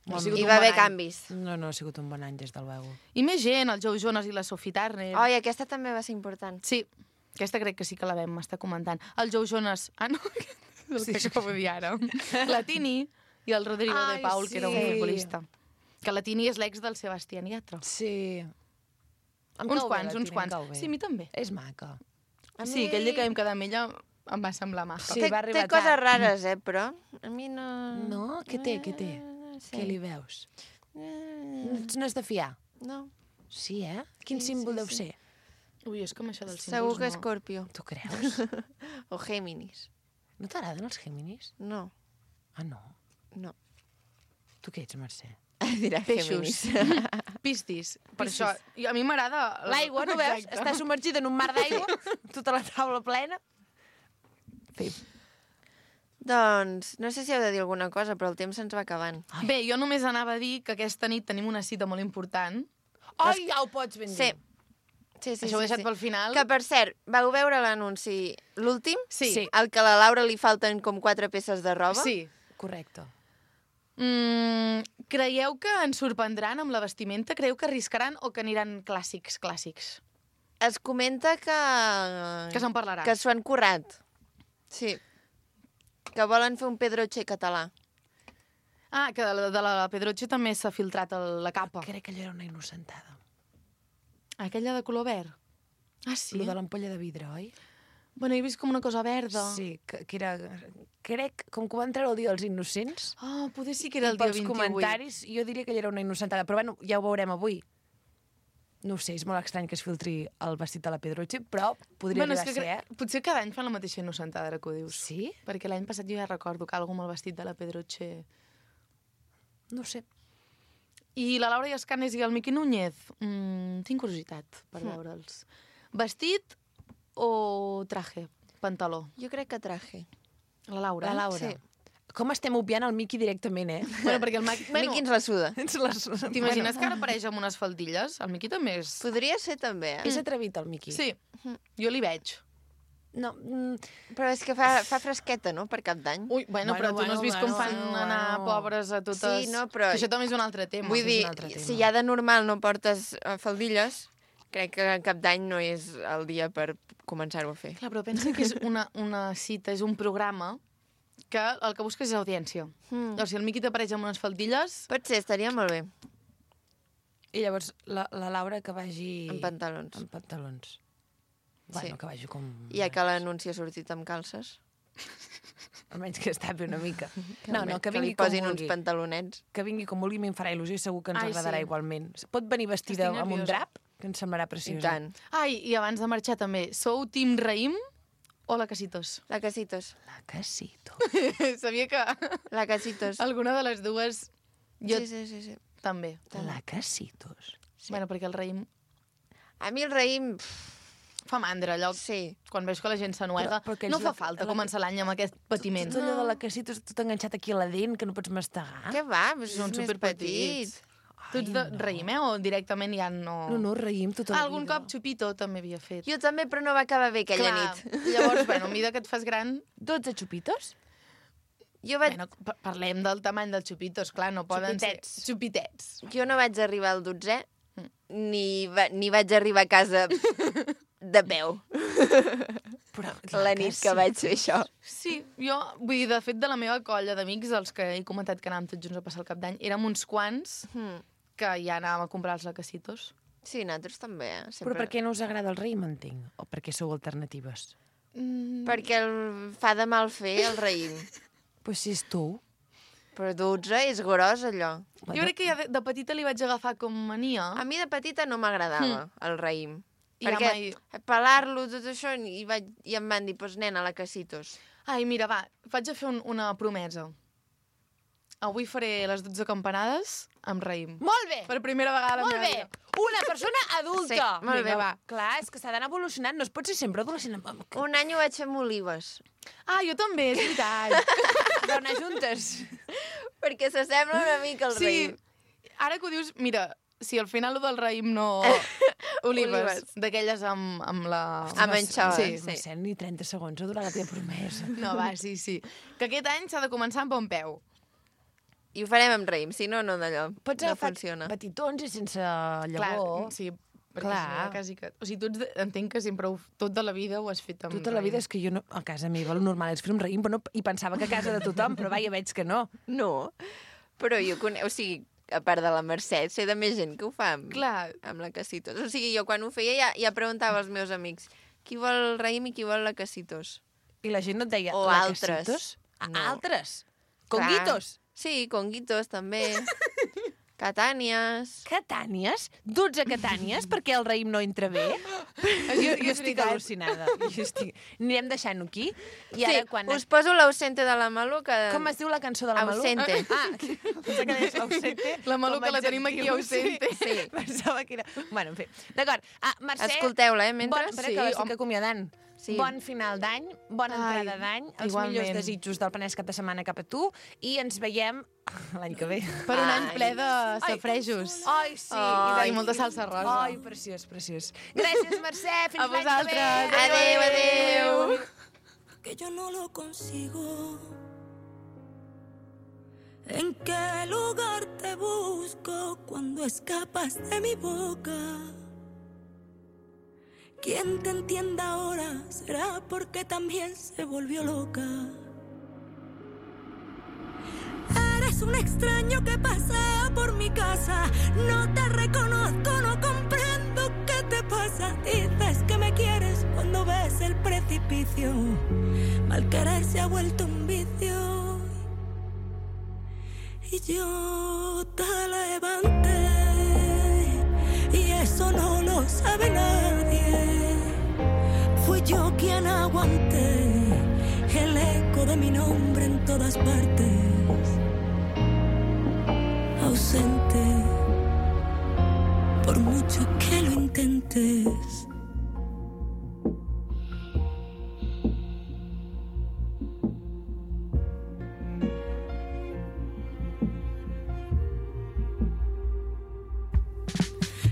Ha Molt sigut Hi un va bon haver any. canvis. No, no, ha sigut un bon any, des del veu. I més gent, el Joe Jonas i la Sophie Turner. Ai, aquesta també va ser important. Sí, aquesta crec que sí que la vam estar comentant. El Joe Jonas... Ah, no? És el que acabo de dir ara. La Tini i el Rodrigo Ai, de Paul, que era un sí. futbolista. Que la Tini és l'ex del Sebastián Yatra. Sí. Em Uns cau bé, quants, la uns Tina, em quants. cau bé. Sí, a mi també. És maca. A Sí, mi- aquell dia que vam quedar amb ella em va semblar maca. Sí, té, va arribar té coses tard. rares, eh, però a mi no... No? Què té, què té? No sé. Què li veus? Eh, No és de fiar? No, Sí, eh? Quin Sí, símbol sí, deu sí. ser? Ui, és com això dels símbols, segur que no. Escorpio. Tu creus? O Géminis. No t'agraden els Géminis? No, Ah, no. no. Tu què ets, Mercè? Dirà Peixos. Géminis. Pistis. Per Piscis. això, i a mi m'agrada... L'aigua, no veus? Exacte. Està submergida en un mar d'aigua, tota la taula plena. Fi. Doncs, no sé si heu de dir alguna cosa, però el temps se'ns va acabant. Ai. Bé, jo només anava a dir que aquesta nit tenim una cita molt important. Ai, ja ho pots ben dir. Sí. Sí, sí, Això ho he sí, deixat sí. pel final. Que, per cert, vau veure l'anunci, l'últim? Sí. Sí. El que a la Laura li falten com quatre peces de roba? Sí. Correcte. Mm, creieu que ens sorprendran amb la vestimenta? Creieu que arriscaran o que aniran clàssics, clàssics? Es comenta que... Que se'n parlarà. Que s'ho han currat. Sí. Que volen fer un Pedroche català. Ah, que de la, de la Pedroche també s'ha filtrat el, la capa. Crec que allò era una innocentada. Aquella de color verd. Ah, sí? Lo de l'ampolla de vidre, oi? Bueno, he vist com una cosa verda. Sí, que, que era... Crec, com que ho van treure el dia dels innocents, Ah, poder sí que era el i dia pels vint-i-vuit. comentaris, jo diria que allò era una innocentada. Però bueno, ja ho veurem avui. No ho sé, és molt estrany que es filtri el vestit de la Pedroche, però podria Bueno, és arribar que a ser, cre... potser cada any fan la mateixa innocentada, ara que ho eh? dius. Sí? Perquè l'any passat jo ja recordo que algú amb el vestit de la Pedroche... No ho sé. I la Laura Iascanes i el Miqui Núñez? Mm, tinc curiositat per Mm. veure'ls. Vestit o traje? Pantaló? Jo crec que traje. La Laura. La Laura. Sí. Com estem obviant el Miqui directament, eh? Bueno, perquè el Miqui... Bueno, Miqui ens la suda. T'imagines que ara apareix amb unes faldilles? El Miqui també és... Podria ser també, eh? És atrevit, el Miqui. Sí, jo li veig. No, mm, Però és que fa, fa fresqueta, no?, per Cap d'Any. Ui, bueno, Bueno, però tu bueno, no has vist bueno, com fan bueno, anar bueno. pobres a totes... Sí, no, però- Que això també és un altre tema. Vull és dir, un altre tema. si ja de normal no portes eh, faldilles, crec que Cap d'Any no és el dia per començar-ho a fer. Clar, però pensa que és una, una cita, és un programa que el que busques és audiència. Mm. O sigui, el Miqui t'apareix amb unes faldilles... Pot ser, estaria molt bé, I llavors la, la Laura que vagi... en pantalons. En pantalons. Sí. Bueno, que vagi com... Ja que l'anunci ha sortit amb calces. Almenys que es tapi una mica. No, no, que que li vingui com posin uns vulgui. pantalonets. Que vingui com vulgui, a mi em farà il·lusió i segur que ens Ai, agradarà sí. igualment. Pot venir vestida Estic amb un nerviosa. drap, que ens semblarà I preciosa. tant. Ai, i abans de marxar també, sou team Raïm o la Casitos? La Casitos. La Casito. Sabia que La Casitos. alguna de les dues... Jo Sí, sí, sí, sí. també. La Casitos. Sí. Bueno, perquè el raïm A mi el raïm... pff, fa mandra, allò, Sí. quan veus que la gent s'anuega. Però- però que No és fa la- falta la- començar l'any amb aquest patiment. Tot allò de la Casitos, tot enganxat aquí a la dent, que no pots mastegar. Què va? És Són més superpetits. petit. Tu ets de raïm, eh? O directament ja no... No, no, raïm tota la Algun vida. cop Chupito també havia fet. Jo també, però no va acabar bé aquella Clar, nit. Llavors, bueno, a mesura que et fas gran... dotze xupitos? Jo, vaig... Bueno, pa- parlem del tamany dels xupitos, clar, no poden Xupitets. ser... Xupitets. jo no vaig arribar al dotzè, Mm. ni, va... ni vaig arribar a casa de peu Però la nit que vaig fer això. Sí, jo, vull dir, de fet, de la meva colla d'amics, els que he comentat que anàvem tots junts a passar el cap d'any, érem uns quants Mm. que ja anàvem a comprar els lacasitos. Sí, nosaltres també, eh? Però Sempre... per què no us agrada el raïm, entenc? O perquè sou alternatives? Mm. Perquè el... fa de mal fer el raïm. Pues si és tu. Però dotze és gros, allò. Jo crec que ja de, de petita li vaig agafar com mania. A mi de petita no m'agradava el raïm. I ja Perquè mai- pelar-lo, tot això, i, vaig... i em van dir, doncs nena, la Casitos. Ai, mira, va, vaig a fer un, una promesa. Avui faré les dotze campanades amb raïm. Molt bé! Per primera vegada a la Molt meva bé! vida. Una persona adulta! Sí, molt bé, va. Clar, és que s'ha d'anar evolucionant, no es pot ser sempre adolescent. Un any ho vaig fer amb olives. Ah, jo també, és veritat. Però anar juntes. Perquè s'assembla una mica al Sí, raïm. ara que ho dius, mira, si al final lo del raïm no... Olives, Olives. d'aquelles amb, amb la... Amb anxoves, Sí. sí. No sé, ni trenta segons ha durat la teva promesa. No, va, sí, sí. Que aquest any s'ha de començar amb bon peu. I ho farem amb raïm, si no, no d'allò. Pots no agafar funciona. petitons i sense llavor. Clar, sí, perquè Clar. si no, quasi que... O sigui, tu ets de... entenc que sempre ho... tota la vida ho has fet amb Tota la vida és que jo no... A casa meva el normal és fer un raïm, però no... i pensava que a casa de tothom, però va, ja veig que no. No, però jo conec... O sigui, a part de la Mercè, sé de més gent que ho fa amb, Clar, amb la Casitos. O sigui, jo quan ho feia ja, ja preguntava als meus amics qui vol raïm i qui vol la Casitos. I la gent no et deia... O "La altres. Casitos?" Ah, No. altres? Clar. Conguitos? Sí, conguitos també. Catànies. Catànies? dotze catànies? Perquè el raïm no entra bé? jo, jo és estic veritat. al·lucinada. Jo estic... Anirem deixant-ho aquí. I ara, Sí, quan... us poso l'ausente de la Malú, que... Com es diu la cançó de la Malú? Ausente. Ah, pensava que deies l'ausente. La Malú, com que la adjectiu. tenim aquí, ausente. Sí. Pensava que era... Bueno, en fi. D'acord. Ah, Mercè... Escolteu-la, eh, mentre? Bon, espera, Sí, que l'estic home. acomiadant. Sí. Bon final d'any, bona Ai, entrada d'any, els igualment. millors desitjos del Penedès cap de setmana cap a tu i ens veiem l'any que ve. per un any Ai. ple de safrejos. Ai, sí. Ai, i de- molta salsa rosa. Ai, preciós, preciós. Gràcies, Mercè. Fins A l'any que ve. vosaltres. Adéu, adéu. Que yo no lo consigo. ¿En qué lugar te busco cuando escapas de mi boca? Quien te entienda ahora será porque también se volvió loca. Eres un extraño que pasea por mi casa. No te reconozco, no comprendo qué te pasa. Dices que me quieres cuando ves el precipicio. Mal querer se ha vuelto un vicio. Y yo te levanté y eso no lo sabe nadie. Fui yo quien aguanté el eco de mi nombre en todas partes. Ausente, por mucho que lo intentes.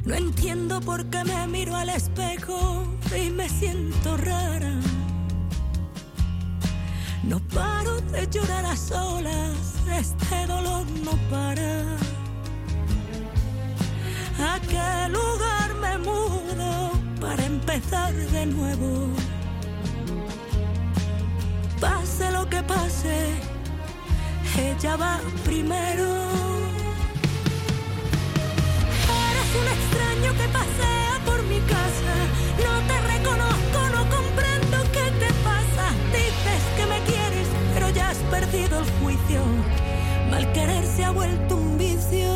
No entiendo por qué me miro al espejo y me siento rara. No paro de llorar a solas, este dolor no para. ¿A qué lugar me mudo para empezar de nuevo? Pase lo que pase, ella va primero. Eres un extraño que pasea por mi casa. No te reconozco, no comprendo qué te pasa. Dices que me quieres, pero ya has perdido el juicio. Mal querer se ha vuelto un vicio.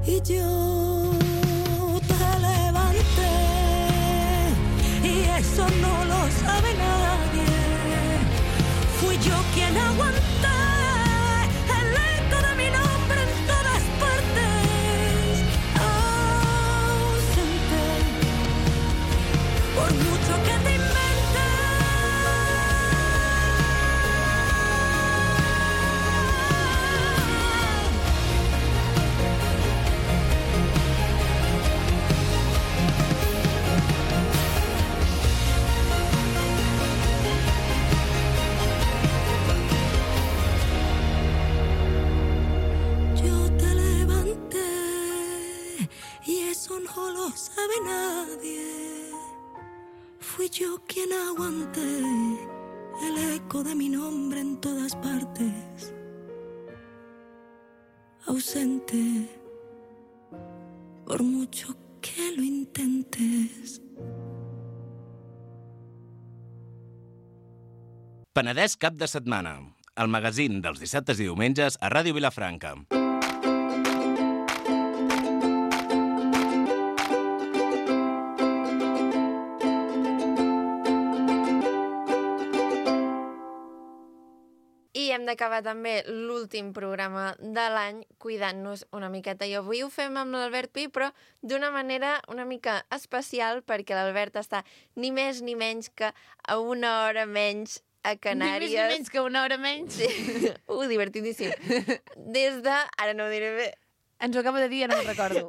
Y yo te levanté, y eso no lo sabe nadie. Fui yo quien aguanté el eco de mi nombre en todas partes. Ausente, por mucho que te inventes. No lo sabe nadie. Fui yo quien aguanté el eco de mi nombre en todas partes. Ausente, por mucho que lo intentes. Penedès cap de setmana, el magazín dels dissabtes i diumenges a Ràdio Vilafranca. I hem d'acabar també l'últim programa de l'any cuidant-nos una miqueta. I avui ho fem amb l'Albert Pi, però d'una manera una mica especial, perquè l'Albert està ni més ni menys que a una hora menys a Canàries. Ni més ni menys que una hora menys. Sí. Uh, divertidíssim. Des de... Ara no ho diré bé. Ens ho acaba de dir, ja no me'n recordo.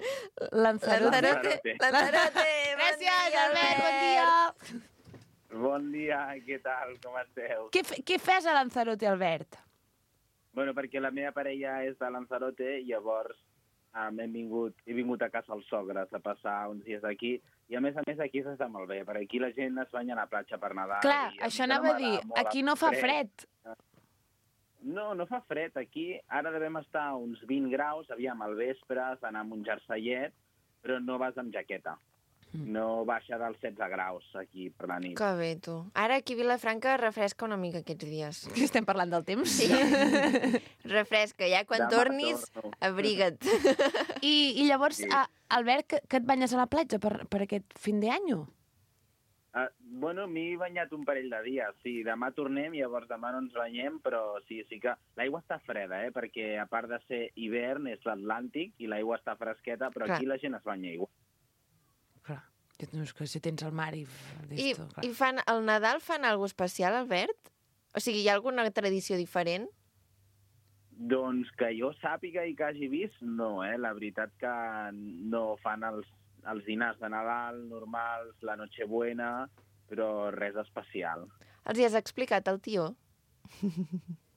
Lanzarote. Lanzarote. Lanzarote. Gràcies, Albert, bon dia. Bon dia, què tal, com esteu? Què, què fes a Lanzarote, Albert? Bueno, perquè la meva parella és de Lanzarote, llavors um, hem vingut, he vingut a casa als sogres a passar uns dies aquí, i a més a més aquí s'està molt bé, perquè aquí la gent es banya a la platja per Nadal. Clar, això anava a dir, aquí no fa fred. No, no fa fred, aquí ara devem estar a uns vint graus, aviam, al vespre, has d'anar amb un jerseiet, però no vas amb jaqueta. No baixa dels setze graus aquí per la nit. Que bé, tu. Ara aquí a Vilafranca refresca una mica aquests dies. Que estem parlant del temps? Sí. Refresca, ja quan Demà tornis, torno. abriga't. I, i llavors, Sí. a, Albert, que, que et banyes a la platja per, per aquest fin d'any? Uh, bueno, m'he banyat un parell de dies, sí, demà tornem, llavors demà no ens banyem, però sí, sí que l'aigua està freda, eh, perquè a part de ser hivern és l'Atlàntic i l'aigua està fresqueta, però Clar. aquí la gent es banya igual. Clar, no, és que si tens el mar i... I, i fan, al Nadal fan alguna especial, Albert? O sigui, hi ha alguna tradició diferent? Doncs que jo sàpiga i que hagi vist, no, eh? La veritat que no fan els, els dinars de Nadal normals, la Nochebuena, però res especial. Els hi has explicat al tio?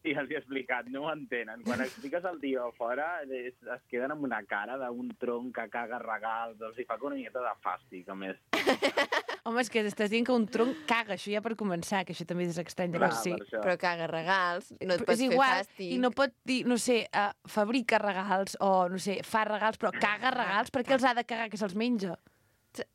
Sí, els he explicat, no ho entenen. Quan expliques al tio a fora, es, es queden amb una cara d'un tronc que caga regals, els hi fa una miqueta de fàstic, a més. Home, és que estàs dient que un tronc caga, això ja per començar, que això també és estrany de Clar, per si. per això. Però caga regals, no et Però pots és fer igual, fàstic. i no pot dir, no sé, uh, fabrica regals o, no sé, fa regals, però caga regals, per què els ha de cagar que se'ls menja?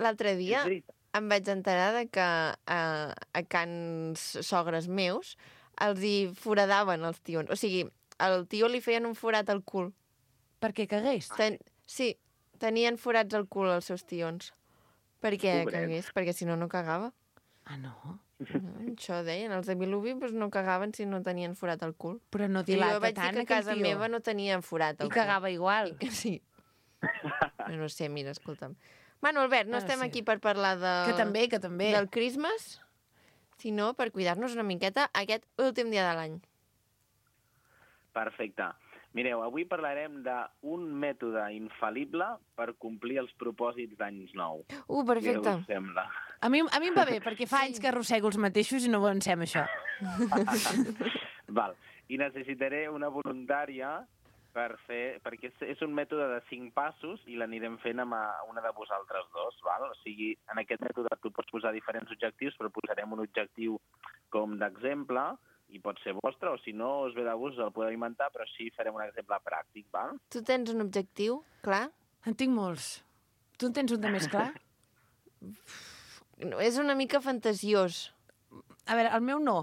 L'altre dia És veritat. em vaig enterar de que a, a cans sogres meus els hi foradaven els tions. O sigui, al tio li feien un forat al cul. Perquè cagués. Ten... Sí, tenien forats al cul els seus tions. Per què Pobret. cagués? Perquè si no, no cagava. Ah, no? Mm, això deien, els de Vilobí doncs no cagaven si no tenien forat al cul. Però no I jo dilata vaig dir tant, que a aquell casa tio. meva no tenien forat al I cul. cagava igual. I que sí. No, no sé, mira, escolta'm. Bueno, Albert, no Ah, estem sí. aquí per parlar de... Que també, que també. del Christmas, sinó per cuidar-nos una miqueta aquest últim dia de l'any. Perfecte. Mireu, avui parlarem d'un mètode infal·lible per complir els propòsits d'anys nou. Uh, perfecte. Què us sembla? A mi, a mi em va bé, perquè fa anys que arrossego els mateixos i no avancem això. Val. I necessitaré una voluntària per fer, perquè és, és un mètode de cinc passos i l'anirem fent amb a una de vosaltres dos. Val? O sigui, en aquest mètode tu pots posar diferents objectius, però posarem un objectiu com d'exemple, i pot ser vostre, o si no us ve de gust el podeu inventar, però sí farem un exemple pràctic, val? Tu tens un objectiu, clar? En tinc molts. Tu en tens un de més clar? No, és una mica fantasiós. A veure, el meu no.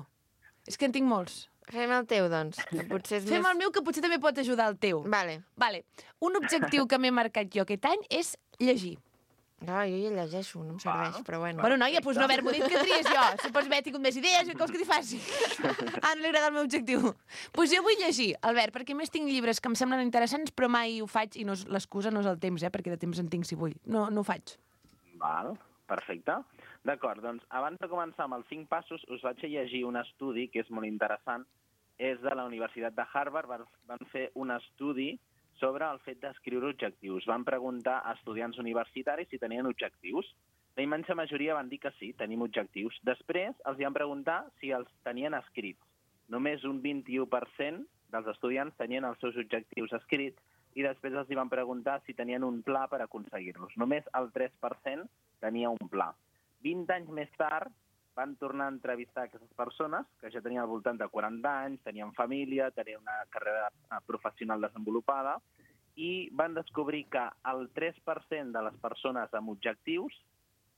És que en tinc molts. Fem el teu, doncs. Que potser és Fem més... el meu, que potser també pot ajudar el teu. Vale. Vale. Un objectiu que m'he marcat jo aquest any és llegir. Ah, jo ja llegeixo, no em serveix, però bueno. Bueno, noia, doncs no haver-m'ho dit que tries jo. Si pots haver tingut més idees, què vols que t'hi faci? Ah, no li agrada el meu objectiu. Doncs pues jo vull llegir, Albert, perquè a més tinc llibres que em semblen interessants, però mai ho faig, i no és, l'excusa no és el temps, eh, perquè de temps en tinc si vull. No, no ho faig. Val, perfecte. D'acord, doncs abans de començar amb els cinc passos us vaig a llegir un estudi que és molt interessant. És de la Universitat de Harvard, van, van fer un estudi sobre el fet d'escriure objectius. Van preguntar a estudiants universitaris si tenien objectius. La immensa majoria van dir que sí, tenim objectius. Després els van preguntar si els tenien escrits. Només un vint-i-u per cent dels estudiants tenien els seus objectius escrits i després els van preguntar si tenien un pla per aconseguir-los. Només el tres per cent tenia un pla. vint anys més tard van tornar a entrevistar aquestes persones, que ja tenien al voltant de quaranta anys, tenien família, tenien una carrera professional desenvolupada, i van descobrir que el tres per cent de les persones amb objectius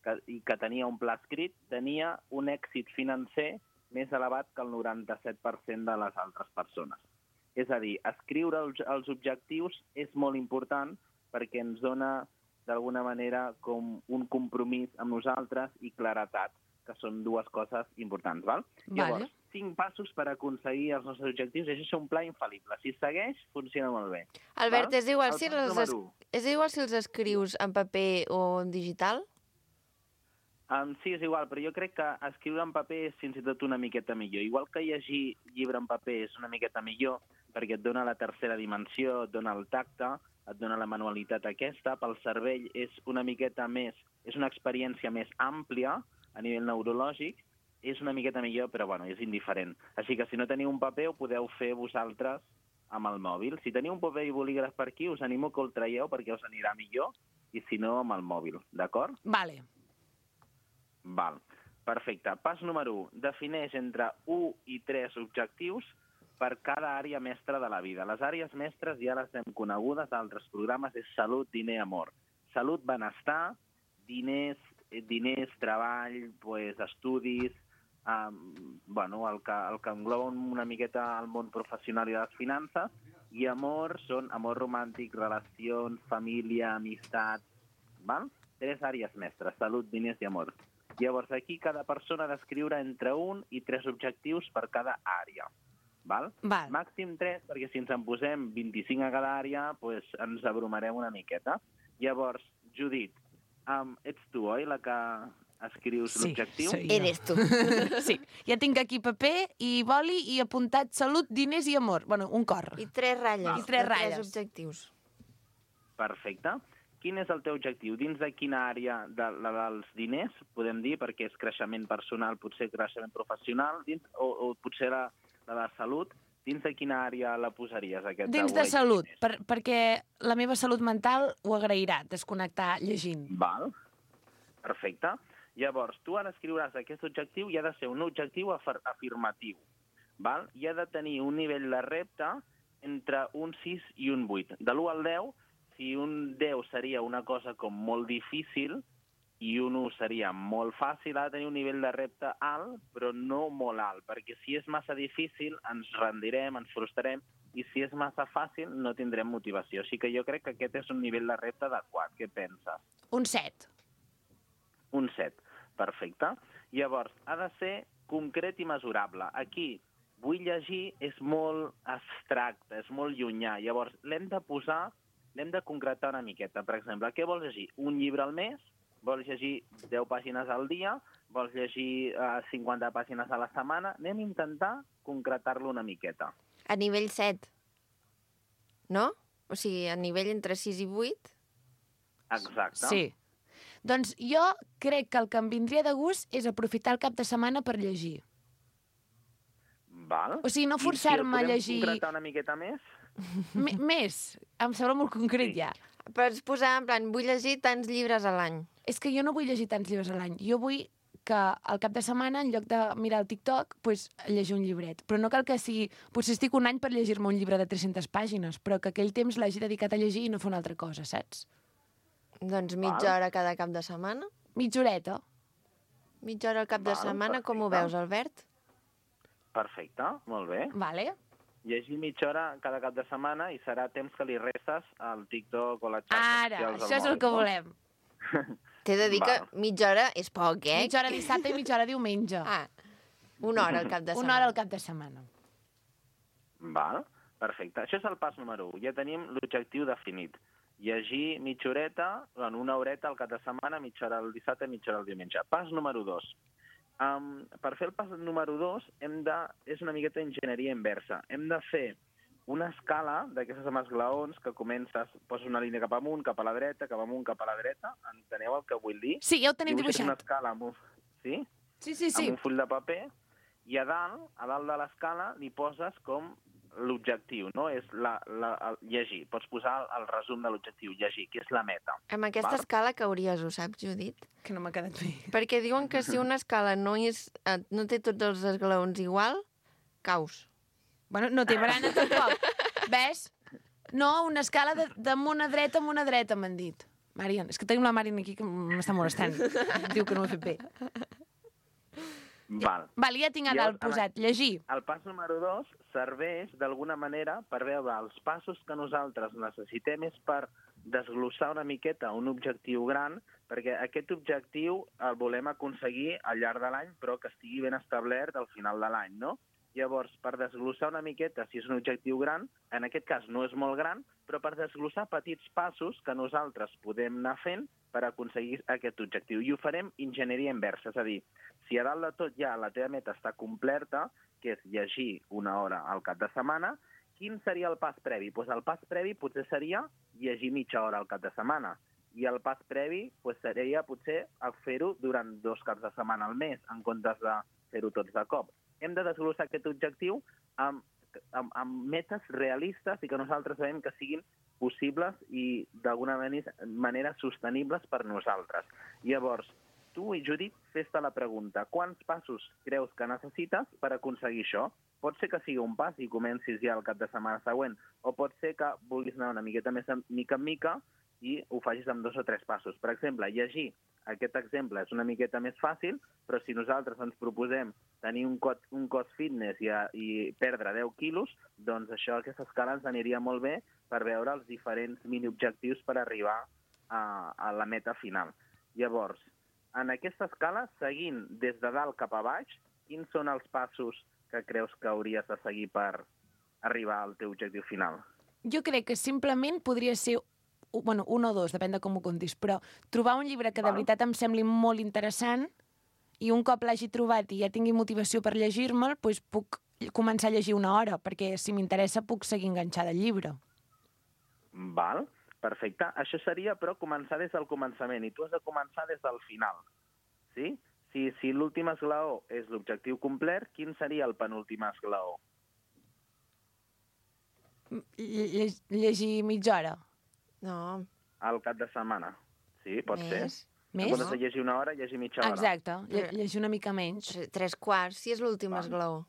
que, i que tenia un pla escrit tenia un èxit financer més elevat que el noranta-set per cent de les altres persones. És a dir, escriure els, els objectius és molt important perquè ens dona, d'alguna manera, com un compromís amb nosaltres i claretat, que són dues coses importants, val? Vale. Llavors, cinc passos per aconseguir els nostres objectius, això és un pla infal·lible. Si segueix, funciona molt bé. Albert, val? és igual, El si pas els es... número u. és igual si els escrius en paper o en digital? Um, sí, és igual, però jo crec que escriure en paper és fins i tot una miqueta millor. Igual que llegir llibre en paper és una miqueta millor, perquè et dona la tercera dimensió, et dona el tacte, et dona la manualitat aquesta, pel cervell és una miqueta més, és una experiència més àmplia a nivell neurològic, és una miqueta millor, però bueno, és indiferent. Així que si no teniu un paper, ho podeu fer vosaltres amb el mòbil. Si teniu un paper i bolígraf per aquí, us animo que el traieu perquè us anirà millor, i si no, amb el mòbil, d'acord? Vale. Val. Perfecte. Pas número u. Defineix entre un i tres objectius per cada àrea mestra de la vida. Les àrees mestres ja les hem conegudes a altres programes, és salut, diner, amor. Salut, benestar, diners, diners, treball, pues, estudis, um, bueno, el que, el que engloba una miqueta el món professional i les finances, i amor són amor romàntic, relacions, família, amistat, val? Tres àrees mestres, salut, diners i amor. Llavors, aquí cada persona ha d'escriure entre un i tres objectius per cada àrea. Val? Val. Màxim tres, perquè si ens en posem vint-i-cinc a cada àrea, pues, ens abrumarem una miqueta. Llavors, Judit, um, ets tu, oi, la que escrius Sí, l'objectiu? soy jo. Eres tu. Sí, ja tinc aquí paper i boli i apuntat salut, diners i amor. Bueno, un cor. I tres ratlles. I tres de ratlles. Tres objectius. Perfecte. Quin és el teu objectiu? Dins de quina àrea de, la dels diners, podem dir, perquè és creixement personal, potser creixement professional, dins, o, o potser la, la de salut, dins de quina àrea la posaries, aquest? Dins de salut, per, perquè la meva salut mental ho agrairà, desconnectar llegint. Val. Perfecte. Llavors, tu ara escriuràs aquest objectiu i ha de ser un objectiu afir afirmatiu. Val? I ha de tenir un nivell de repte entre un sis i un vuit. De l'u al deu, si un deu seria una cosa com molt difícil i un u seria molt fàcil, ha de tenir un nivell de repte alt, però no molt alt, perquè si és massa difícil ens rendirem, ens frustrarem, i si és massa fàcil no tindrem motivació. Així que jo crec que aquest és un nivell de repte adequat. Què penses? Un set. Un set. Perfecte. Llavors, ha de ser concret i mesurable. Aquí, vull llegir és molt abstracte, és molt llunyà. Llavors, l'hem de posar, l'hem de concretar una miqueta. Per exemple, què vols llegir? Un llibre al mes? Vols llegir deu pàgines al dia? Vols llegir uh, cinquanta pàgines a la setmana? Anem a intentar concretar-lo una miqueta. A nivell set. no? O sigui, a nivell entre sis i vuit. Exacte. Sí. Doncs jo crec que el que em vindria de gust és aprofitar el cap de setmana per llegir. Val. O sigui, no I si el forçar-me a podem llegir... concretar una miqueta més? M més, em sembla molt concret Sí. ja. Pots posar, en plan, vull llegir tants llibres a l'any. És que jo no vull llegir tants llibres a l'any. Jo vull que al cap de setmana, en lloc de mirar el TikTok, pues, llegir un llibret. Però no cal que sigui... Potser estic un any per llegir-me un llibre de tres-centes pàgines, però que aquell temps l'hagi dedicat a llegir i no fer una altra cosa, saps? Doncs mitja hora cada cap de setmana. Mitja horeta. Mitja hora al cap de Val, setmana, com ho perfecte. veus, Albert? Perfecte, molt bé. Vale. Llegir mitja hora cada cap de setmana i serà temps que li restes al TikTok o a les xarxes Ara, socials del això és el mòbil, que no? volem. T'he de dir que Val. mitja hora és poc, eh? Mitja hora dissabte i mitja hora diumenge. Ah, una hora al cap de setmana. Una hora al cap de setmana. Val, perfecte. Això és el pas número u. Ja tenim l'objectiu definit. Llegir mitja horeta, bueno, una horeta al cap de setmana, mitja hora el dissabte i mitja hora el diumenge. Pas número dos. Um, per fer el pas número dos hem de... és una miqueta d'enginyeria inversa. Hem de fer una escala d'aquestes amb esglaons que comences, poses una línia cap amunt, cap a la dreta, cap amunt, cap a la dreta. Enteneu el que vull dir? Sí, ja ho tenim Dibuixes una dibuixat. escala amb un... Sí? Sí, sí, sí. Amb un full de paper, i a dalt, a dalt de l'escala, li poses com l'objectiu, no? És la, la, el llegir. Pots posar el, el resum de l'objectiu, llegir, que és la meta. Amb aquesta Val. escala cauries, ho saps, Judit? Que no m'ha quedat bé. Perquè diuen que si una escala no, és, eh, no té tots els esglaons igual, caus. Bueno, no té barana tampoc. Ves? No, una escala de- d'amunt a dreta, amunt a dreta, m'han dit. Marian, és que tenim la Marian aquí que m'està molestant. Diu que no ho he fet bé. Val. Val, ja tinc a I dalt el- posat. Llegir. El pas número dos serveix d'alguna manera per veure els passos que nosaltres necessitem és per desglossar una miqueta un objectiu gran, perquè aquest objectiu el volem aconseguir al llarg de l'any, però que estigui ben establert al final de l'any, no? Llavors, per desglossar una miqueta, si és un objectiu gran, en aquest cas no és molt gran, però per desglossar petits passos que nosaltres podem anar fent per aconseguir aquest objectiu. I ho farem enginyeria inversa, és a dir, si a dalt de tot ja la teva meta està completa, que és llegir una hora al cap de setmana, quin seria el pas previ? Pues el pas previ potser seria llegir mitja hora al cap de setmana. I el pas previ pues, seria potser fer-ho durant dos caps de setmana al mes, en comptes de fer-ho tots de cop. Hem de desglossar aquest objectiu amb, amb, amb metes realistes i que nosaltres sabem que siguin possibles i d'alguna manera sostenibles per nosaltres. Llavors, tu i Judit, fes-te la pregunta, quants passos creus que necessites per aconseguir això? Pot ser que sigui un pas i comencis ja el cap de setmana següent, o pot ser que vulguis anar una miqueta més en mica en mica i ho facis amb dos o tres passos. Per exemple, llegir. Aquest exemple és una miqueta més fàcil, però si nosaltres ens proposem tenir un cos, un cos fitness i, a, i perdre deu quilos, doncs això, aquesta escala ens aniria molt bé per veure els diferents mini-objectius per arribar a, a la meta final. Llavors, en aquesta escala, seguint des de dalt cap a baix, quins són els passos que creus que hauries de seguir per arribar al teu objectiu final? Jo crec que simplement podria ser bueno, un o dos, depèn de com ho contis, però trobar un llibre que de Val. veritat em sembli molt interessant i un cop l'hagi trobat i ja tingui motivació per llegir-me'l, doncs puc començar a llegir una hora, perquè si m'interessa puc seguir enganxada al llibre. Val, perfecte. Això seria, però, començar des del començament, i tu has de començar des del final. Sí? Si, si l'últim esglaó és l'objectiu complet, quin seria el penúltim esglaó? Lle llegir mitja hora. No, Al cap de setmana. Sí, pot més. ser. Més? En comptes de llegir una hora, llegir mitja hora. Exacte, lle llegir una mica menys. Tre- Tres quarts, si és l'últim Val. esglaó.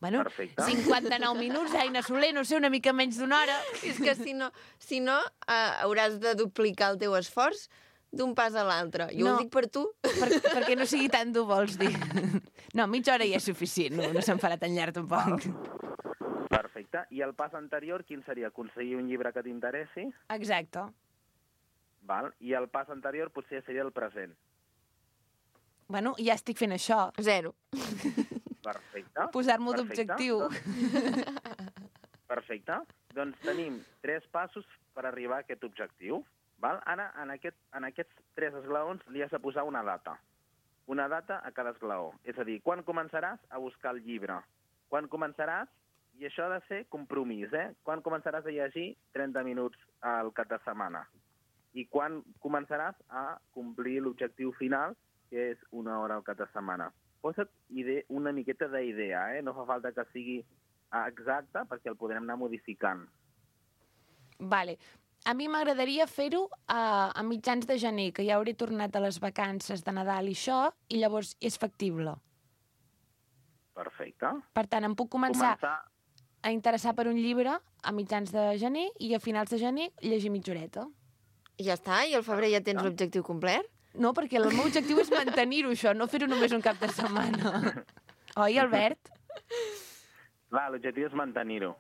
Bueno, Perfecte. cinquanta-nou minuts, Aina Soler, no sé, una mica menys d'una hora. És que si no, si no eh, hauràs de duplicar el teu esforç d'un pas a l'altre. Jo No. ho dic per tu. Per, perquè no sigui tant dur, vols dir. No, mitja hora ja és suficient, no, no se'n farà tan llarg tampoc. Perfecte. I el pas anterior, quin seria? Aconseguir un llibre que t'interessi? Exacte. Val? I el pas anterior potser seria el present. Bueno, ja estic fent això. Zero. Perfecte. Posar-m'ho Perfecte. d'objectiu. Perfecte. Doncs tenim tres passos per arribar a aquest objectiu. Val? Ara, en, aquest, en aquests tres esglaons li has de posar una data. Una data a cada esglaó. És a dir, quan començaràs a buscar el llibre? Quan començaràs I això ha de ser compromís, eh? Quan començaràs a llegir? trenta minuts al cap de setmana. I quan començaràs a complir l'objectiu final, que és una hora al cap de setmana. Posa't ide- una miqueta d'idea, eh? No fa falta que sigui exacte, perquè el podrem anar modificant. Vale. A mi m'agradaria fer-ho a, a mitjans de gener, que ja hauré tornat a les vacances de Nadal i això, i llavors és factible. Perfecte. Per tant, em puc començar, Començar... a interessar per un llibre a mitjans de gener i a finals de gener llegir mitja horeta. I ja està, i al febrer ja tens l'objectiu complet? No, perquè el meu objectiu és mantenir-ho, això, no fer-ho només un cap de setmana. Oi, Albert? Clar, l'objectiu és mantenir-ho.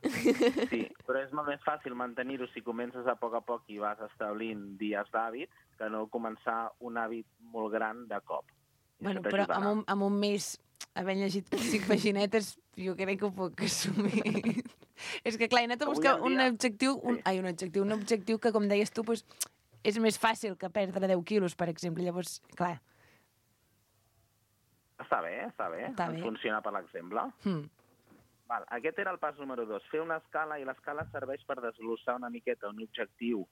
Sí, però és molt més fàcil mantenir-ho si comences a poc a poc i vas establint dies d'hàbits que no començar un hàbit molt gran de cop. I Bueno, això però t'ajudarà. amb un, amb un mes havent llegit cinc paginetes, jo crec que ho puc assumir. És que, clar, he anat a Avui buscar en un dia- objectiu, un, Sí. ai, un objectiu, un objectiu que, com deies tu, pues, és més fàcil que perdre deu quilos, per exemple. Llavors, clar, Està bé, està bé. Està Ens bé. funciona per l'exemple. hmm. Val, aquest era el pas número dos, fer una escala, i l'escala serveix per desglossar una miqueta un objectiu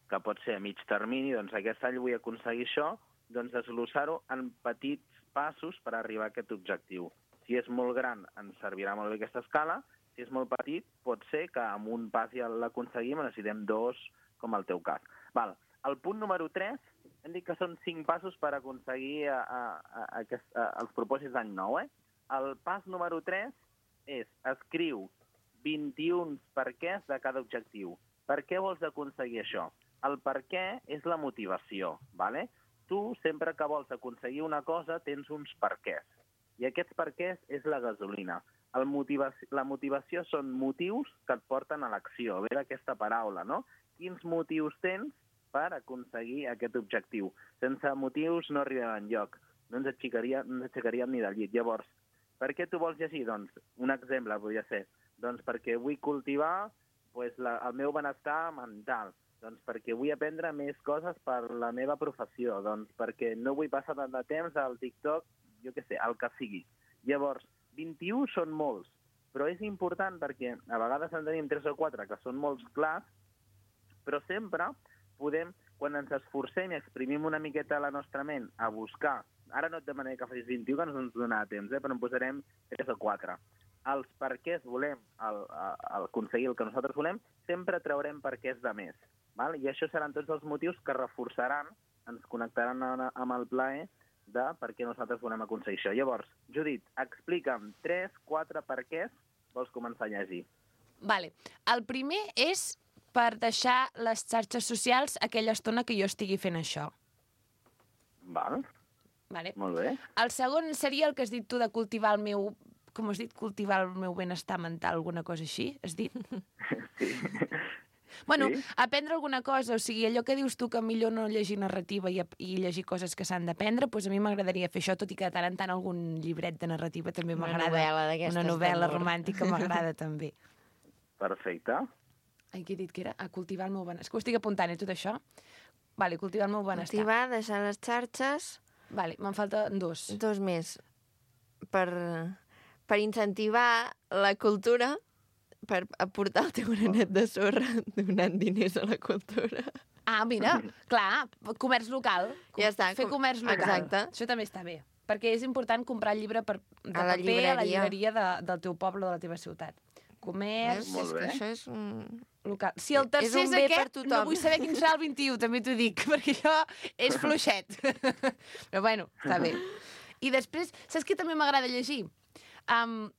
que pot ser a mig termini, doncs aquest any vull aconseguir això, doncs desglossar-ho en petits passos per arribar a aquest objectiu. Si és molt gran, ens servirà molt bé aquesta escala, si és molt petit, pot ser que amb un pas ja l'aconseguim, necessitem dos, com el teu cas. Val. El punt número tres, hem dit que són cinc passos per aconseguir a, a, a, a, aquest, a, els propòsits d'any nou, eh? El pas número tres és escriu vint-i-un perquès de cada objectiu. Per què vols aconseguir això? El per què és la motivació, ¿vale? Tu, sempre que vols aconseguir una cosa, tens uns perquès. I aquests perquès és la gasolina. El motivació, la motivació són motius que et porten a l'acció, ve d'aquesta paraula, no? Quins motius tens per aconseguir aquest objectiu? Sense motius no arribem enlloc. No ens aixecaríem, no ens aixecaríem ni del llit. Llavors, per què tu vols llegir? Doncs, un exemple podria ser, doncs perquè vull cultivar pues, la, el meu benestar mental, doncs perquè vull aprendre més coses per la meva professió, doncs perquè no vull passar tant de temps al TikTok, jo què sé, el que sigui. Llavors, vint-i-un són molts, però és important perquè a vegades en tenim tres o quatre que són molts clars, però sempre podem, quan ens esforcem i exprimim una miqueta la nostra ment a buscar, ara no et demanaré que facis vint-i-un, que no ens donarà temps, eh, però en posarem tres o quatre. Els perquès volem el, el, el aconseguir el que nosaltres volem, sempre traurem perquès de més. Val? I això seran tots els motius que reforçaran, ens connectaran amb el plaer de per què nosaltres volem aconseguir això. Llavors, Judit, explica'm tres, quatre perquès vols començar a llegir. Vale. El primer és per deixar les xarxes socials aquella estona que jo estigui fent això. Val, Vale. molt bé. El segon seria el que has dit tu de cultivar el meu... Com has dit? Cultivar el meu benestar mental, alguna cosa així, has dit? Sí. Bueno, Sí. aprendre alguna cosa, o sigui, allò que dius tu que millor no llegir narrativa i, i llegir coses que s'han d'aprendre, doncs a mi m'agradaria fer això, tot i que de tant en tant algun llibret de narrativa també Una m'agrada. novel·la d'aquestes Una novel·la d'amor. romàntica m'agrada també. Perfecte. Ai, què he dit que era? A cultivar el meu benestar. És que ho estic apuntant, eh, tot això? Vale, cultivar el meu benestar. Cultivar, deixar les xarxes, Vale, me'n falten dos. dos més. Per, per incentivar la cultura, per aportar el teu granet de sorra donant diners a la cultura. Ah, mira, clar, comerç local. Ja està, Fer com- comerç local. exacte. Això també està bé. Perquè és important comprar el llibre per, de A la paper a la llibreria. llibreria de, del teu poble o de la teva ciutat. Comerç Veus? Molt És que bé. això és un... local. Si el tercer És és, un bé per aquest, tothom. no vull saber quin serà el vint-i-u, també t'ho dic, perquè això és fluixet. Però bueno, està bé. I després, saps què també m'agrada llegir? Um,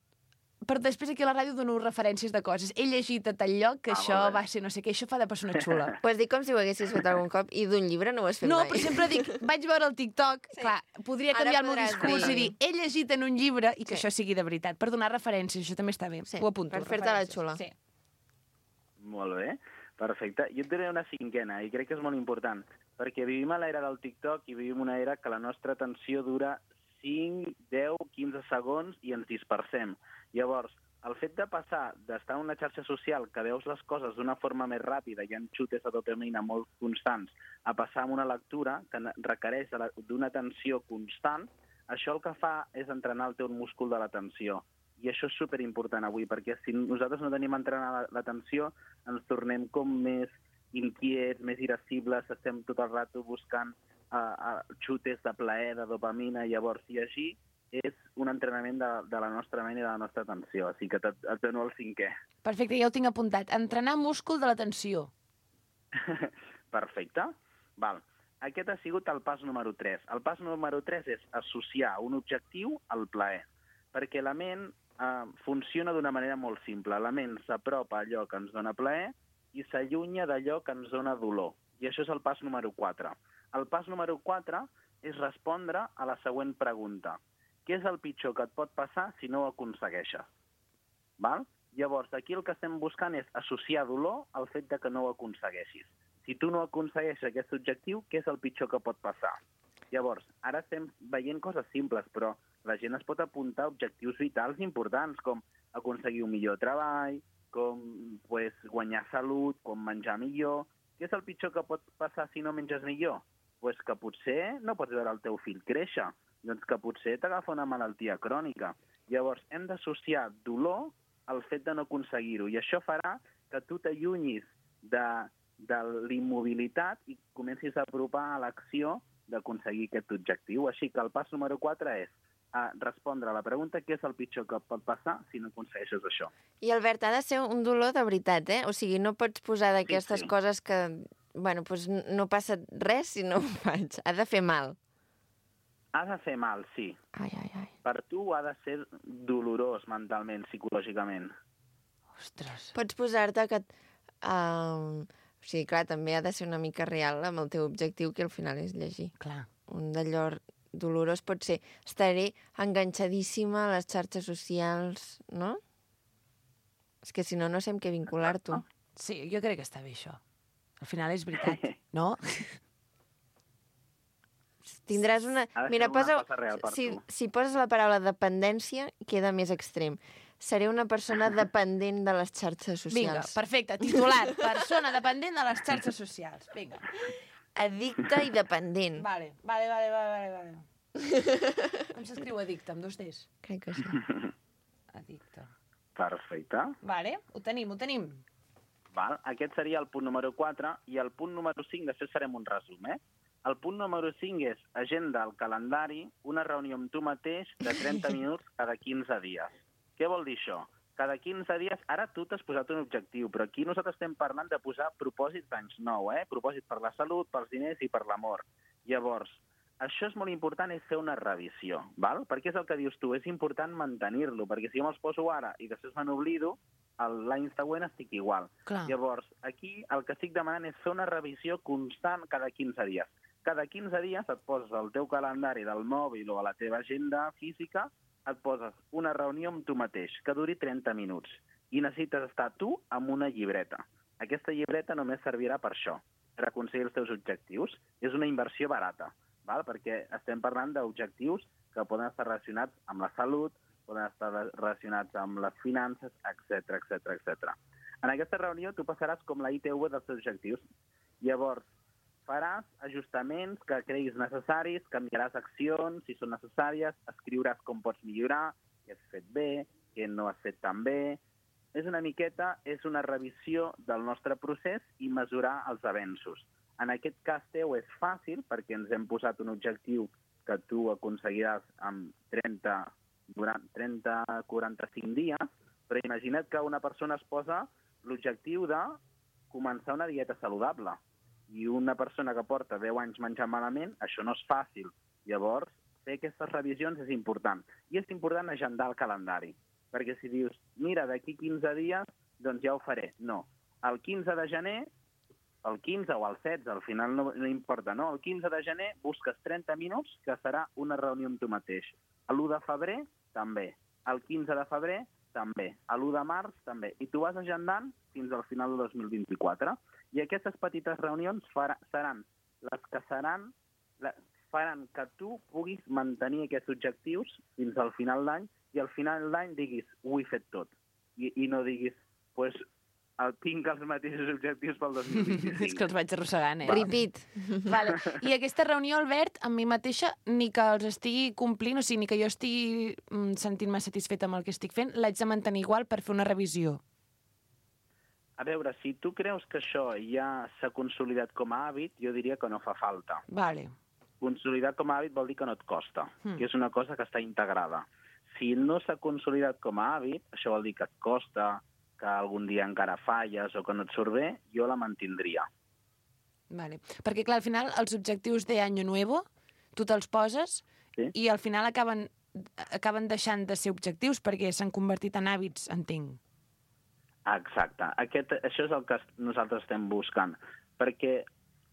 però després aquí a la ràdio dono referències de coses. He llegit a tal lloc que Ah, això molt bé. va ser no sé què, això fa de persona xula. Ho has dit com si ho haguessis fet algun cop i d'un llibre no ho has fet No, mai. però sempre dic, vaig veure el TikTok, sí. Clar, podria Ara canviar el meu podràs discurs dir. i dir, he llegit en un llibre i que Sí. això sigui de veritat, per donar referències, això també està bé. Sí, Ho apunto. per fer-te la referències. xula. Sí. Molt bé, perfecte. Jo et diré una cinquena, i crec que és molt important, perquè vivim a l'era del TikTok i vivim una era que la nostra atenció dura cinc, deu, quinze segons i ens dispersem. Llavors, el fet de passar d'estar en una xarxa social que veus les coses d'una forma més ràpida i en xutes de dopamina molt constants a passar a una lectura que requereix de la- d'una atenció constant, això el que fa és entrenar el teu múscul de l'atenció. I això és superimportant avui, perquè si nosaltres no tenim entrenada l'atenció, ens tornem com més inquiets, més irascibles, estem tot el rato buscant uh, uh, xutes de plaer, de dopamina, llavors, i així és un entrenament de, de la nostra ment i de la nostra atenció, així que et, et dono el cinquè. Perfecte, ja ho tinc apuntat. Entrenar múscul de l'atenció. Perfecte. Val. Aquest ha sigut el pas número tres. El pas número tres és associar un objectiu al plaer, perquè la ment eh, funciona d'una manera molt simple. La ment s'apropa a allò que ens dona plaer i s'allunya d'allò que ens dona dolor. I això és el pas número quatre. El pas número quatre és respondre a la següent pregunta. Què és el pitjor que et pot passar si no ho aconsegueixes? Val? Llavors, aquí el que estem buscant és associar dolor al fet de que no ho aconsegueixis. Si tu no aconsegueixes aquest objectiu, què és el pitjor que pot passar? Llavors, ara estem veient coses simples, però la gent es pot apuntar a objectius vitals importants, com aconseguir un millor treball, com pues, guanyar salut, com menjar millor. Què és el pitjor que pot passar si no menges millor? Pues que potser no pots veure el teu fill créixer, doncs que potser t'agafa una malaltia crònica. Llavors, hem d'associar dolor al fet de no aconseguir-ho, i això farà que tu t'allunyis de de l'immobilitat i comencis a apropar a l'acció d'aconseguir aquest objectiu. Així que el pas número quatre és a respondre a la pregunta què és el pitjor que pot passar si no aconsegueixes això. I, Albert, ha de ser un dolor de veritat, eh? O sigui, no pots posar d'aquestes Sí, sí. coses que, bueno, doncs no passa res si no ho faig. Ha de fer mal. Ha de fer mal, sí. Ai, ai, ai. Per tu ha de ser dolorós mentalment, psicològicament. Ostres. Pots posar-te que... Uh, o sigui, clar, també ha de ser una mica real amb el teu objectiu, que al final és llegir. Clar. Un d'allò dolorós pot ser estaré enganxadíssima a les xarxes socials, no? És que si no, no sé amb què vincular-t'ho. Sí, jo crec que està bé, això. Al final és veritat, no? Tindràs una... Ha de ser Mira, una posa... cosa real per si, tu. si poses la paraula dependència, queda més extrem. Seré una persona dependent de les xarxes Vinga, socials. perfecte. Titular, persona dependent de les xarxes socials. Vinga. Addicte i dependent. Vale, vale, vale, vale, vale. Com s'escriu addicte, amb dos Ts? Crec que sí. Addicte. Perfecte. Vale, ho tenim, ho tenim. Val? Aquest seria el punt número quatre i el punt número cinc, després farem un resum, eh? El punt número cinc és agenda al calendari, una reunió amb tu mateix de trenta minuts cada quinze dies. Què vol dir això? Cada quinze dies, ara tu t'has posat un objectiu, però aquí nosaltres estem parlant de posar propòsits d'anys nou, eh? Propòsits per la salut, pels diners i per l'amor. Llavors, això és molt important, és fer una revisió, val? Perquè és el que dius tu, és important mantenir-lo, perquè si jo me'ls poso ara i després me n'oblido, l'any següent estic igual. Clar. Llavors, aquí el que estic demanant és fer una revisió constant cada quinze dies. Cada quinze dies et poses al teu calendari del mòbil o a la teva agenda física, et poses una reunió amb tu mateix, que duri trenta minuts, i necessites estar tu amb una llibreta. Aquesta llibreta només servirà per això, per aconseguir els teus objectius. És una inversió barata, val? Perquè estem parlant d'objectius que poden estar relacionats amb la salut, poden estar relacionats amb les finances, etcètera, etcètera, etcètera. En aquesta reunió tu passaràs com la I T V dels teus objectius. Llavors, faràs ajustaments que creguis necessaris, canviaràs accions si són necessàries, escriuràs com pots millorar, què has fet bé, què no has fet tan bé. És una miqueta, és una revisió del nostre procés i mesurar els avenços. En aquest cas teu és fàcil perquè ens hem posat un objectiu que tu aconseguiràs en trenta, trenta, quaranta-cinc dies, però imagina't que una persona es posa l'objectiu de començar una dieta saludable. I una persona que porta deu anys menjant malament, això no és fàcil. Llavors, fer aquestes revisions és important. I és important agendar el calendari. Perquè si dius, mira, d'aquí quinze dies, doncs ja ho faré. No. El quinze de gener, el quinze o el setze, al final no, no importa, no? El quinze de gener busques trenta minuts, que serà una reunió amb tu mateix. L'u de febrer, també. El quinze de febrer, també. L'u de març, també. I tu vas agendant fins al final del dos mil vint-i-quatre. I aquestes petites reunions farà, seran les que seran, la, faran que tu puguis mantenir aquests objectius fins al final d'any i al final d'any diguis, ho he fet tot. I, i no diguis, pues, el, tinc els mateixos objectius pel dos mil vint-i-cinc. És que els vaig arrossegant, eh? Repeat. Vale. I aquesta reunió, Albert, amb mi mateixa, ni que els estigui complint, o sigui, ni que jo estigui mm, sentint-me satisfeta amb el que estic fent, l'haig de mantenir igual per fer una revisió. A veure, si tu creus que això ja s'ha consolidat com a hàbit, jo diria que no fa falta. Vale. Consolidar com a hàbit vol dir que no et costa, Mm. que és una cosa que està integrada. Si no s'ha consolidat com a hàbit, això vol dir que et costa, que algun dia encara falles o que no et surt bé, jo la mantindria. Vale. Perquè, clar, al final, els objectius d'Año Nuevo, tu te'ls poses Sí. i al final acaben, acaben deixant de ser objectius perquè s'han convertit en hàbits, entenc. Exacte. Aquest, això és el que nosaltres estem buscant, perquè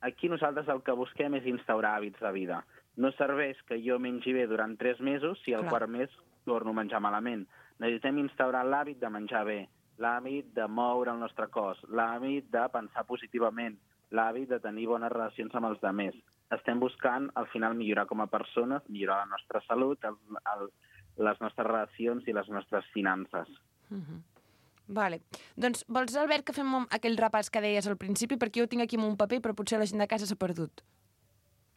aquí nosaltres el que busquem és instaurar hàbits de vida. No serveix que jo mengi bé durant tres mesos si al Clar. quart mes torno a menjar malament. Necessitem instaurar l'hàbit de menjar bé, l'hàbit de moure el nostre cos, l'hàbit de pensar positivament, l'hàbit de tenir bones relacions amb els altres. Estem buscant, al final, millorar com a persones, millorar la nostra salut, el, el, les nostres relacions i les nostres finances. Uh-huh. Vale. Doncs vols, Albert, que fem un- aquell repàs que deies al principi? Perquè jo ho tinc aquí en un paper, però potser la gent de casa s'ha perdut.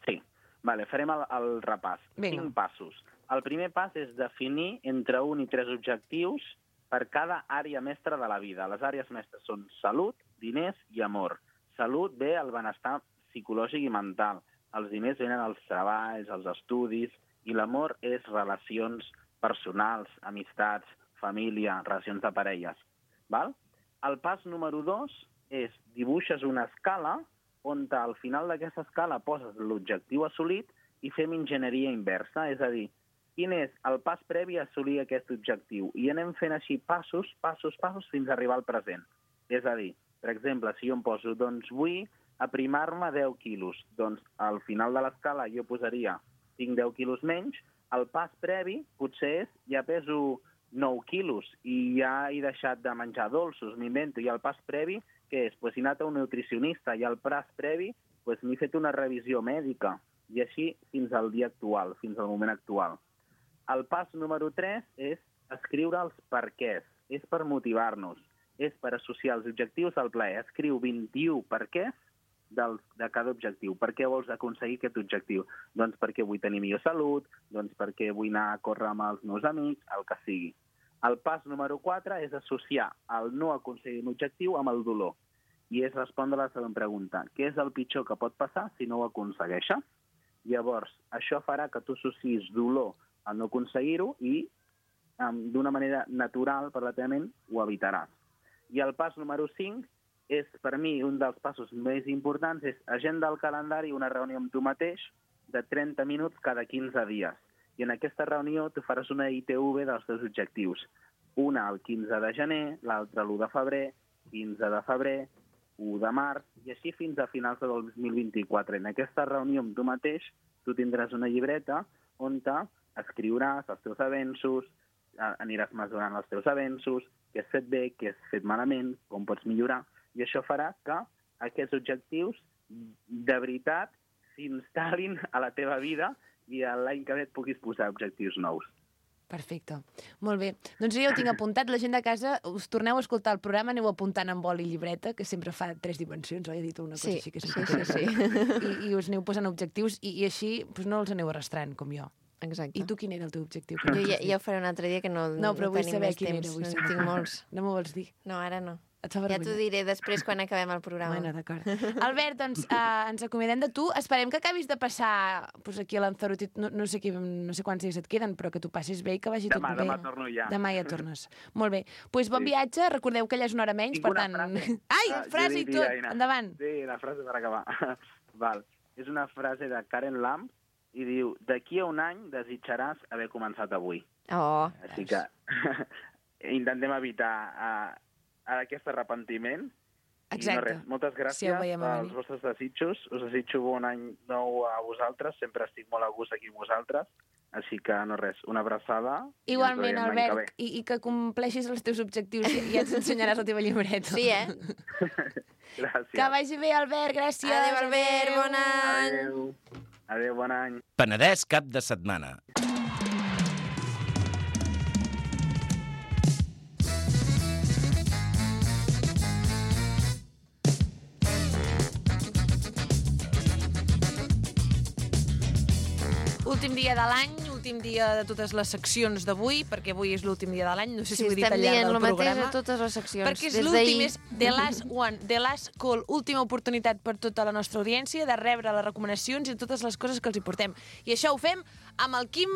Sí, vale, farem el, el repàs. Vinga. Cinc passos. El primer pas és definir entre un i tres objectius per cada àrea mestra de la vida. Les àrees mestres són salut, diners i amor. Salut ve el benestar psicològic i mental. Els diners venen els treballs, els estudis, i l'amor és relacions personals, amistats, família, relacions de parelles. Val? El pas número dos és dibuixes una escala on al final d'aquesta escala poses l'objectiu assolit i fem enginyeria inversa, és a dir, quin és el pas previ a assolir aquest objectiu. I anem fent així passos, passos, passos, fins a arribar al present. És a dir, per exemple, si jo em poso, doncs vull aprimar-me deu quilos, doncs al final de l'escala jo posaria tinc deu quilos menys, el pas previ potser és ja peso nou quilos i ja he deixat de menjar dolços, m'invento, i el pas previ, què és? Pues he anat a un nutricionista, i el pas previ pues, m'he fet una revisió mèdica, i així fins al dia actual, fins al moment actual. El pas número tres és escriure els perquès, és per motivar-nos, és per associar els objectius al plaer. Escriu vint-i-u perquès del, de cada objectiu. Per què vols aconseguir aquest objectiu? Doncs perquè vull tenir millor salut, doncs perquè vull anar a córrer amb els meus amics, el que sigui. El pas número quatre és associar el no aconseguir un objectiu amb el dolor. I és respondre a la següent pregunta. Què és el pitjor que pot passar si no ho aconsegueixes? Llavors, això farà que tu associs dolor a no aconseguir-ho i um, d'una manera natural, relativament, ho evitaràs. I el pas número cinc és, per mi, un dels passos més importants, és agenda al calendari una reunió amb tu mateix de trenta minuts cada quinze dies. I en aquesta reunió tu faràs una I T V dels teus objectius. Una el quinze de gener, l'altra l'u de febrer, quinze de febrer, u de març, i així fins a finals del dos mil vint-i-quatre. En aquesta reunió amb tu mateix tu tindràs una llibreta on escriuràs els teus avenços, aniràs mesurant els teus avenços, què has fet bé, què has fet malament, com pots millorar, i això farà que aquests objectius de veritat s'instal·lin a la teva vida i l'any que ve et puguis posar objectius nous. Perfecte. Molt bé. Doncs jo ja ho tinc apuntat. La gent de casa, us torneu a escoltar el programa, aneu apuntant amb boli i llibreta, que sempre fa tres dimensions, oi? He dit una cosa Sí, així que sí, sempre sí, I, I us aneu posant objectius i, i així doncs no els aneu arrastrant, com jo. Exacte. I tu quin era el teu objectiu? Jo ja, ja ho faré un altre dia, que no, No, però no vull tenim saber més quin temps. era. Vull No en saber. tinc molts. No m'ho vols dir? No, ara no. Et fa Ja vergonya? t'ho diré després quan acabem el programa. Bueno, d'acord. Albert, doncs eh, ens acomiadem de tu. Esperem que acabis de passar pues, aquí a Lanzarote. No, no, sé qui, no sé quants dies et queden, però que tu passis bé i que vagi Demà, tot bé. demà torno ja. Demà ja tornes. Molt bé. Doncs pues bon Sí. viatge. Recordeu que allà és una hora menys, Tinc per una tant... frase. Ai, Ah, frase jo i diria, tot. Aina. Endavant. Sí, la frase per acabar. Val. És una frase de Karen Lamb i diu: d'aquí a un any desitjaràs haver començat avui. Oh, Així que intentem evitar uh, aquest arrepentiment. Exacte. I no res, moltes Si gràcies ho veiem a pels venir. vostres desitjos. Us desitjo bon any nou a vosaltres. Sempre estic molt a gust aquí amb vosaltres. Així que no res, una abraçada. i ens Igualment, veiem l'any que Albert, i, i que compleixis els teus objectius i ja ens ensenyaràs la teva llibreta. sí, eh? ve. Gràcies. Que vagi bé, Albert. Gràcies. Adéu, Albert, bon any! Adéu. Adéu, bon any. Penedès cap de setmana. Últim dia de l'any, últim dia de totes les seccions d'avui, perquè avui és l'últim dia de l'any, no sé si Sí, ho he dit estem al llarg dient del el mateix programa. a totes les seccions. Perquè és des l'últim, d'ahir. és The Last One, The Last Call, última oportunitat per tota la nostra audiència de rebre les recomanacions i totes les coses que els hi portem. I això ho fem amb el Quim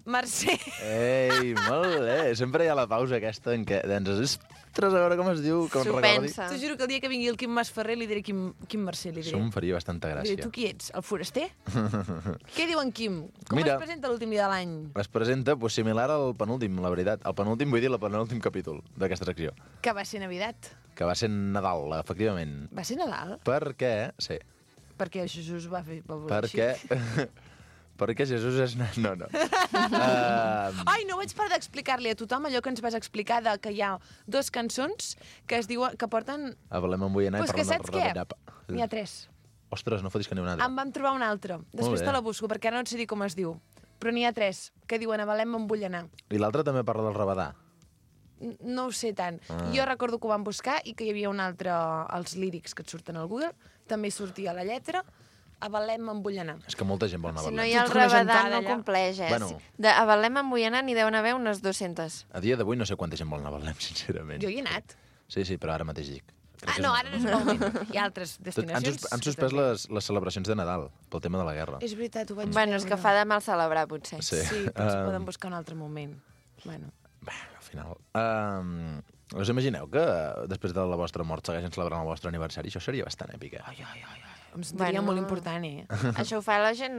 Mercè. Ei, molt bé. Sempre hi ha la pausa aquesta en què ens ostres, a veure com es diu, com S'ho recordi. pensa. T'ho juro que el dia que vingui el Quim Masferrer li diré Quim, Quim Mercè, li diré. Això em faria bastanta Li gràcia. diré, tu qui ets? El foraster? Què diu en Quim? Com Mira. es presenta l'últim dia de l'any? Es presenta pues, similar al penúltim, la veritat. El penúltim, vull dir, el penúltim capítol d'aquesta secció. Que va ser Navidad. Que va ser Nadal, efectivament. Va ser Nadal? Perquè, sí, Perquè Jesús va fer... Va voler perquè... així. perquè Jesús és... No, no. uh, Ai, no vaig parar d'explicar-li a tothom allò que ens vas explicar de que hi ha dos cançons que es diuen que porten... a Belém em vull anar Pues per que una saps què? reverapa. N'hi ha tres. Ostres, no fotis que n'hi ha una altra. Em vam trobar una altra. Després bé. te la busco, perquè ara no et sé dir com es diu. Però n'hi ha tres que diuen a Belém me'n vull anar. I l'altra també parla del rabadà. N- No ho sé tant. Ah. Jo recordo que ho vam buscar i que hi havia un altre... Els lírics que et surten al Google. També hi sortia la lletra. A Belém me'n vull anar. És que molta gent vol anar a Si no Belém. hi ha el Tota una rabadà, gentada no allà. compleix, eh? Bueno. De, a Belém en vull anar n'hi deuen haver unes dues-centes. A dia d'avui no sé quanta gent vol anar a Belém, sincerament. Jo hi he anat. Sí, sí, però ara mateix dic. Crec Ah, que no, és ara no és el moment. Hi ha altres Tot, han, destinacions. sus, han suspès les, les celebracions de Nadal pel tema de la guerra. És veritat, ho vaig Bueno, és que veure. fa de mal celebrar, potser. Sí. Sí, potser Um, poden buscar un altre moment. Bueno. Bé, al final... Um, us imagineu que després de la vostra mort segueixen celebrant el vostre aniversari? Això seria bastant èpic, eh? Ai, ai, ai, ai. Em sentiria Bueno. molt important, eh? Això ho fa la gent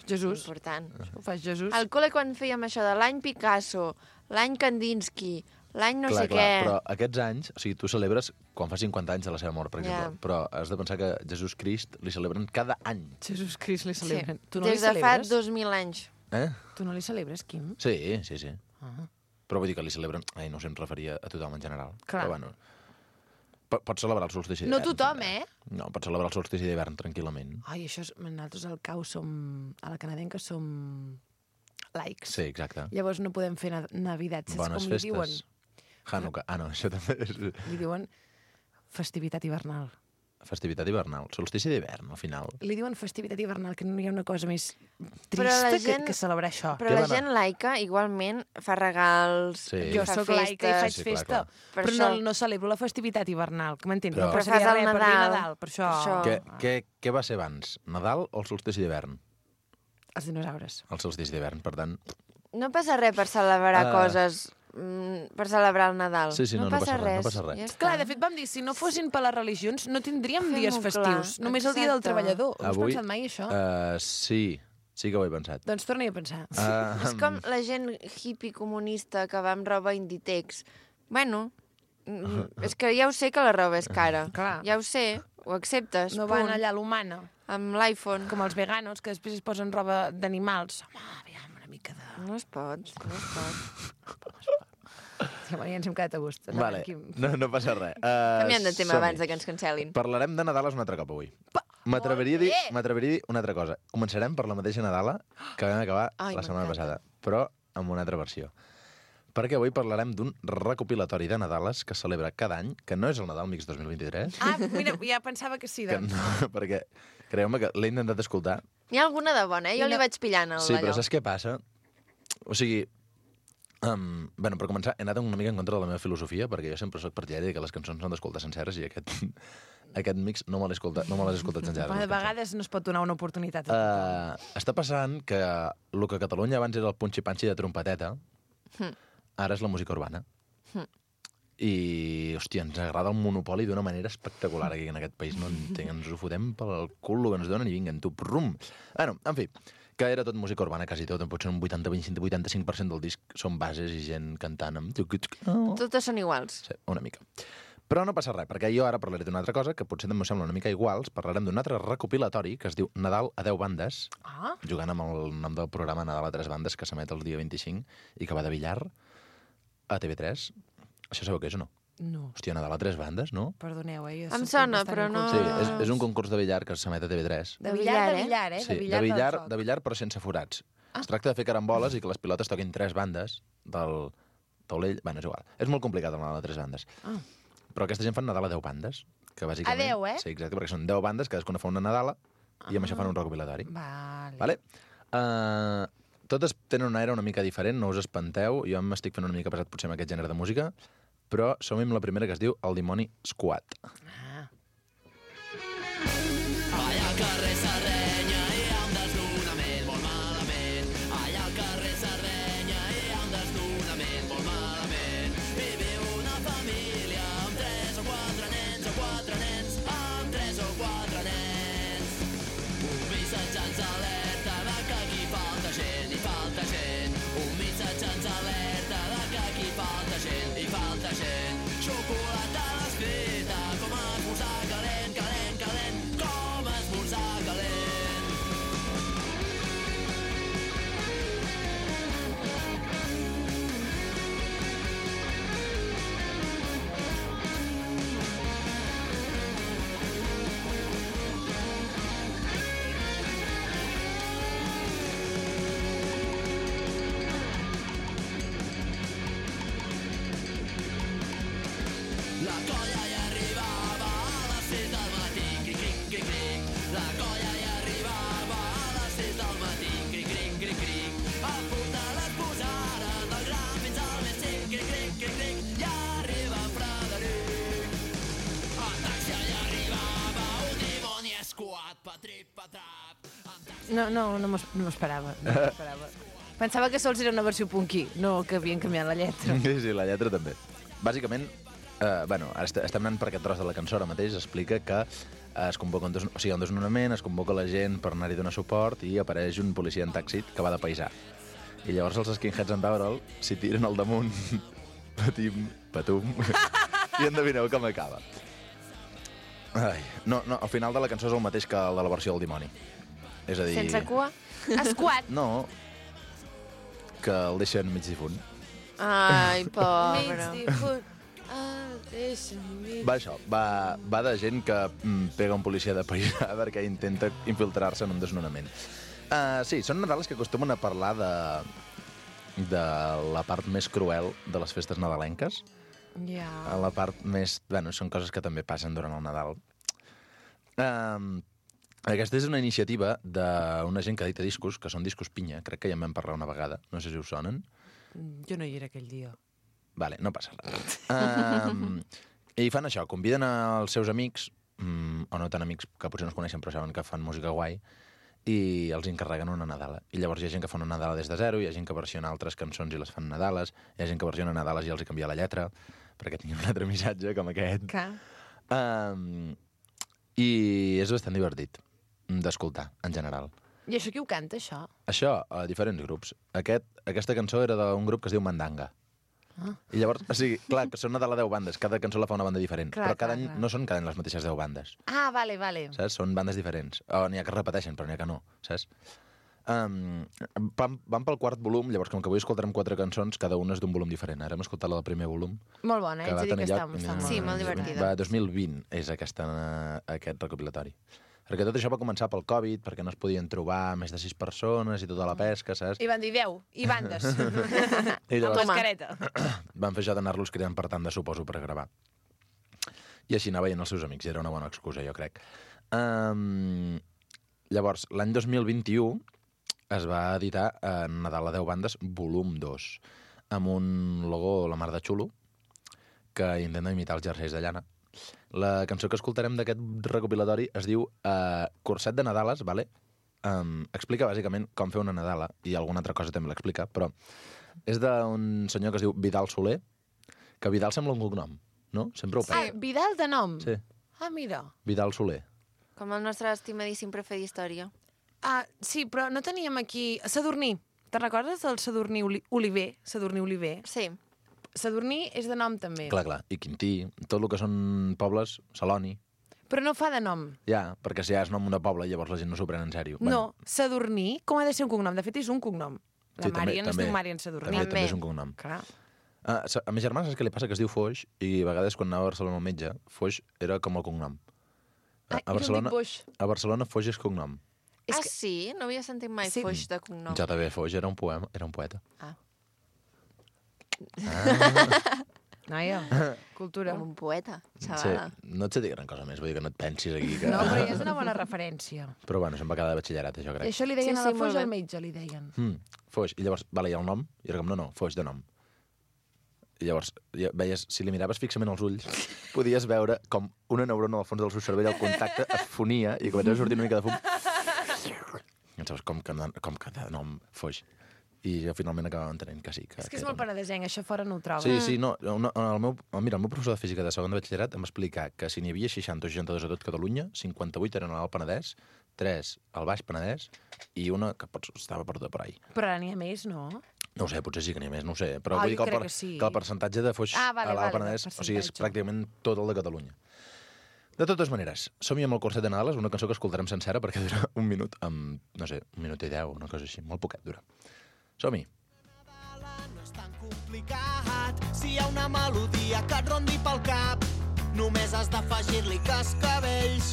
Jesús. important. Ho fas, Jesús? Al col·le quan fèiem això de l'any Picasso, l'any Kandinsky, l'any no clar, sé clar, què... però aquests anys, o sigui, tu celebres quan fa cinquanta anys de la seva mort, per exemple, Ja. però has de pensar que Jesús Crist li celebren cada any. Jesús Crist li Sí. celebren. Tu no Des li de fa celebres? dos mil anys. Eh? Tu no li celebres, Quim? Sí, sí, sí. Ah. Però vull dir que li celebren... Ai, no sé, em referia a tothom en general. Clar. Però bueno, po- pots celebrar el solstici No d'hivern. tothom, també. eh? No, pots celebrar el solstici d'hivern tranquil·lament. Ai, això és... Nosaltres al cau som... A la canadenca som laics. Sí, exacte. Llavors no podem fer na Navidad. Saps Bones com festes. li diuen? Hanukkah. Ah, no, això també és Li diuen festivitat hivernal. festivitat hivernal. Solstici d'hivern, al final. Li diuen festivitat hivernal, que no hi ha una cosa més Però la trista gent- que, que celebrar això. Però Què la va anar? gent laica igualment fa regals, Sí. Jo fa sóc laica i festes. faig Sí, clar, festa, clar. Per però això. no, no celebro la festivitat hivernal, que m'entens? Però- No Però passaria fas el res per dir Nadal. Nadal, per això... Per això. Què, què, què va ser abans, Nadal o el solstici d'hivern? Els dinosaures. El solstici d'hivern, per tant... No passa res per celebrar Ah. coses, mm, per celebrar el Nadal. Sí, sí, no, no passa res, no passa res. Ja està. Clar, de fet vam dir, si no fossin per les religions, no tindríem Fem-ho dies clar, festius. Només el dia del exacte. treballador. Ho has Avui, pensat mai, això? Uh, sí, sí que ho he pensat. Doncs torna-hi a pensar. Uh, És com la gent hippie comunista que va amb roba Inditex. Bueno, mm, és que ja ho sé que la roba és cara. Clar. Ja ho sé, ho acceptes, No punt. van allà a l'humana, Amb l'iPhone. com els veganos, que després es posen roba d'animals. Home, aviam, una mica de... No es pot, no es pot. Ja, bueno, ja ens hem quedat a gust. Endavant, vale, Quim. no, no passa res. Uh, Canviem de tema abans de que ens cancel·lin. Parlarem de Nadales un altre cop avui. M'atreviria a dir, m'atreviria a dir una altra cosa. Començarem per la mateixa Nadala que vam acabar Ai, la setmana m'encanta. passada, però amb una altra versió. Perquè avui parlarem d'un recopilatori de Nadales que celebra cada any, que no és el Nadal Mix dos mil vint-i-tres, Ah, mira, ja pensava que sí, que doncs. no, perquè creu-me que l'he intentat escoltar. N'hi ha alguna de bona, eh? Jo I li no- vaig pillant el Sí, però allò. saps què passa? O sigui, um, bueno, per començar, he anat una mica en contra de la meva filosofia, perquè jo sempre sóc partidari que les cançons s'han d'escoltar senceres i aquest, aquest mix no me l'he escoltat, no me l'he escoltat senceres. A les cançons. vegades no es pot donar una oportunitat. A tothom. Uh, està passant que el que a Catalunya abans era el punxi-panxi de trompeteta, ara és la música urbana. I, hòstia, ens agrada el monopoli d'una manera espectacular aquí en aquest país. No entenc, ens ho fotem pel cul el que ens donen i vinguen, tu, prum. Bueno, en fi, que era tot música urbana, quasi tot. Potser un vuitanta vuitanta-cinc per cent del disc són bases i gent cantant amb... Totes són iguals. Sí, una mica. Però no passa res, perquè jo ara parlaré d'una altra cosa que potser també us sembla una mica iguals. Parlarem d'un altre recopilatori que es diu Nadal a deu bandes, Ah, jugant amb el nom del programa Nadal a tres bandes, que s'emet el dia vint-i-cinc i que va de Villar a T V tres. Això sabeu què és o no? no. Hòstia, Nadal a tres bandes, no? Perdoneu, eh? jo Em soc sona, bastant però no- Sí, inculta. és, és un concurs de billar que s'emet a T V tres. De billar, de billar, eh? Sí, de billar, de billar, del de foc. billar però sense forats. Es tracta de fer caramboles i que les pilotes toquin tres bandes del taulell. Bueno, és igual. És molt complicat el Nadal a tres bandes. Ah. Però aquesta gent fan Nadal a deu bandes. Que bàsicament... A deu, eh? Sí, exacte, perquè són deu bandes, cadascuna fa una Nadala i amb això fan un recopilatori. Vale. Vale? Uh, totes tenen un aire una mica diferent, no us espanteu. Jo m'estic fent una mica pesat potser amb aquest gènere de música, però som-hi amb la primera, que es diu El dimoni Squad. Ah. Allà al carrer Sardenya hi ha un desnonament molt malament. Allà al carrer Sardenya hi ha un desnonament molt malament. Hi viu una família amb tres o quatre nens, o quatre nens amb tres o quatre nens. Un missatge ens alerta de que aquí falta gent, hi falta gent. Un missatge ens alerta de que aquí falta gent, hi falta gent. Xocolata a l'escrita, com a esmorzar calent, calent, calent, com a esmorzar calent. La colla hi arribava a les sis del matí, cric, cric, cric, cric. La colla hi arribava a les sis del matí, cric, cric, cric, cric. A punt de les posaren del gran fins al més cinc, cric, cric, cric, cric. I arriba en Frederic. En taxi hi arribava un dimoni escuat, patrip, patrap. No, no, no m'ho no m'ho esperava. No m'ho esperava. Pensava que sols era una versió punky, no que havien canviat la lletra. Sí, sí, la lletra també. Bàsicament, eh, bueno, ara est estem anant per aquest tros de la cançó ara mateix, explica que eh, es convoca un, des o sigui, un desnonament, es convoca la gent per anar-hi a donar suport i apareix un policia en taxi que va de paisà. I llavors els skinheads en veure'l s'hi tiren al damunt, patim, patum, i endevineu com acaba. Ai, no, no, al final de la cançó és el mateix que el de la versió del dimoni. És a dir... Sense cua? Esquat. No, que el deixen mig difunt. Ai, pobre. Mig difunt. Ah, deixa'm mig. Va això, va, va de gent que mm, pega un policia de paisà perquè intenta infiltrar-se en un desnonament. Uh, sí, són Nadales que acostumen a parlar de, de la part més cruel de les festes nadalenques. Ja. A la part més... Bueno, són coses que també passen durant el Nadal. Um, aquesta és una iniciativa d'una gent que edita discos, que són discos pinya, crec que ja en vam parlar una vegada, no sé si us sonen. Jo no hi era aquell dia. Vale, no passa res. Um, I fan això, conviden els seus amics, um, o no tan amics, que potser no es coneixen però saben que fan música guai, i els encarreguen una Nadala. I llavors hi ha gent que fa una Nadala des de zero, hi ha gent que versiona altres cançons i les fan Nadales, hi ha gent que versiona Nadales i els hi canvia la lletra, perquè tinguin un altre missatge com aquest. Que? Um, I és bastant divertit d'escoltar, en general. I això qui ho canta, això? Això, a diferents grups. Aquest, aquesta cançó era d'un grup que es diu Mandanga. Ah. I llavors, o sigui, clar, que són una de les deu bandes, cada cançó la fa una banda diferent, clar, però cada clar, any clar. no són cada any les mateixes deu bandes, Ah, vale, vale. saps? Són bandes diferents. O n'hi ha que es repeteixen, però n'hi ha que no, saps? Um, van, van pel quart volum, llavors com que avui escoltarem quatre cançons, cada una és d'un volum diferent. Ara hem escoltat la del primer volum, Molt bona, eh? que va Ets a dir tenir que lloc... està, està molt Sí, bona. molt divertida. Va, dos mil vint és aquesta, aquest recopilatori. Perquè tot això va començar pel Covid, perquè no es podien trobar més de sis persones i tota la pesca, saps? I van dir deu, i bandes. I Amb llavors mascareta. van fer això d'anar-los cridant per tant de suposo per gravar. I així anar veient els seus amics, era una bona excusa, jo crec. Um, llavors, l'any dos mil vint-i-u es va editar eh, Nadal a deu bandes, volum dos, amb un logo la mar de xulo, que intenta imitar els jerseis de llana. La cançó que escoltarem d'aquest recopilatori es diu uh, Curset de Nadales, vale? Um, explica bàsicament com fer una Nadala, i alguna altra cosa també l'explica, però és d'un senyor que es diu Vidal Soler, que Vidal sembla un cognom, no? Sempre ho Ah, penso. Vidal de nom? Sí, Ah, mira. Vidal Soler. Com el nostre estimadíssim profe d'història. Ah, sí, però no teníem aquí... Sadurní. Te'n recordes del Sadurní Oli Oliver? Sadurní Oliver. Sí. Sadurní és de nom, també. Clar, clar. I Quintí, tot el que són pobles, Celoni. Però no fa de nom. Ja, perquè si ja és nom de poble, llavors la gent no s'ho pren en sèrio. No, Sadurní, com ha de ser un cognom? De fet, és un cognom. La Sí, també- Marian es també. diu Marian Sadurní. També, També. també és un cognom. Clar. Ah, a ma germana saps què li passa? Que es diu Foix, i a vegades quan anava a Barcelona al metge, Foix era com el cognom. A, Ah, a, jo em dic Barcelona, Boix. a Barcelona Foix és cognom. És ah, que- sí? No havia sentit mai Sí. Foix de cognom. J B Foix era un poema, era un poeta. Ah. Ah. Noia, cultura. Com un poeta, Sí, xavala. no et sé dir gran cosa més, vull dir que no et pensis aquí. Que... No, però ja és una bona referència. Però bueno, se'm va quedar de batxillerat, això I crec. això li deien Sí, a la sí, molt Foix bé. al metge, li deien. Mm, Foix. I llavors, vale, i el nom? I era com, no, no, Foix de nom. I llavors, ja veies, si li miraves fixament als ulls, podies veure com una neurona al fons del seu cervell, el contacte es fonia i començava a sortir una mica de fum. I saps com que, com que de nom Foix. I jo finalment acabava entenent que sí. Que, És que és era molt un- penedesenc, això fora no ho trobo. Sí, sí, no. no el meu, mira, el meu professor de física de segon de batxillerat em va explicar que si n'hi havia seixanta o seixanta-dos a tot Catalunya, cinquanta-vuit eren a l'Alt Penedès, tres al Baix Penedès i una que pots, estava perduda per ahí. Però ara n'hi ha més, no? No ho sé, potser sí que n'hi ha més, no ho sé. Però Ah, vull dir jo que el, crec per, que sí. que el percentatge de Foix Ah, vale, a l'Alt vale, Penedès, del o sigui, és percentatge. pràcticament tot el de Catalunya. De totes maneres, som-hi amb el Curset de Nadales, una cançó que escoltarem sencera perquè dura un minut, amb, no sé, un minut i deu, una cosa així, molt poquet dura. Som-hi. No és tan complicat. Si hi ha una melodia que et rondi pel cap, només has d'afegir-li cascavells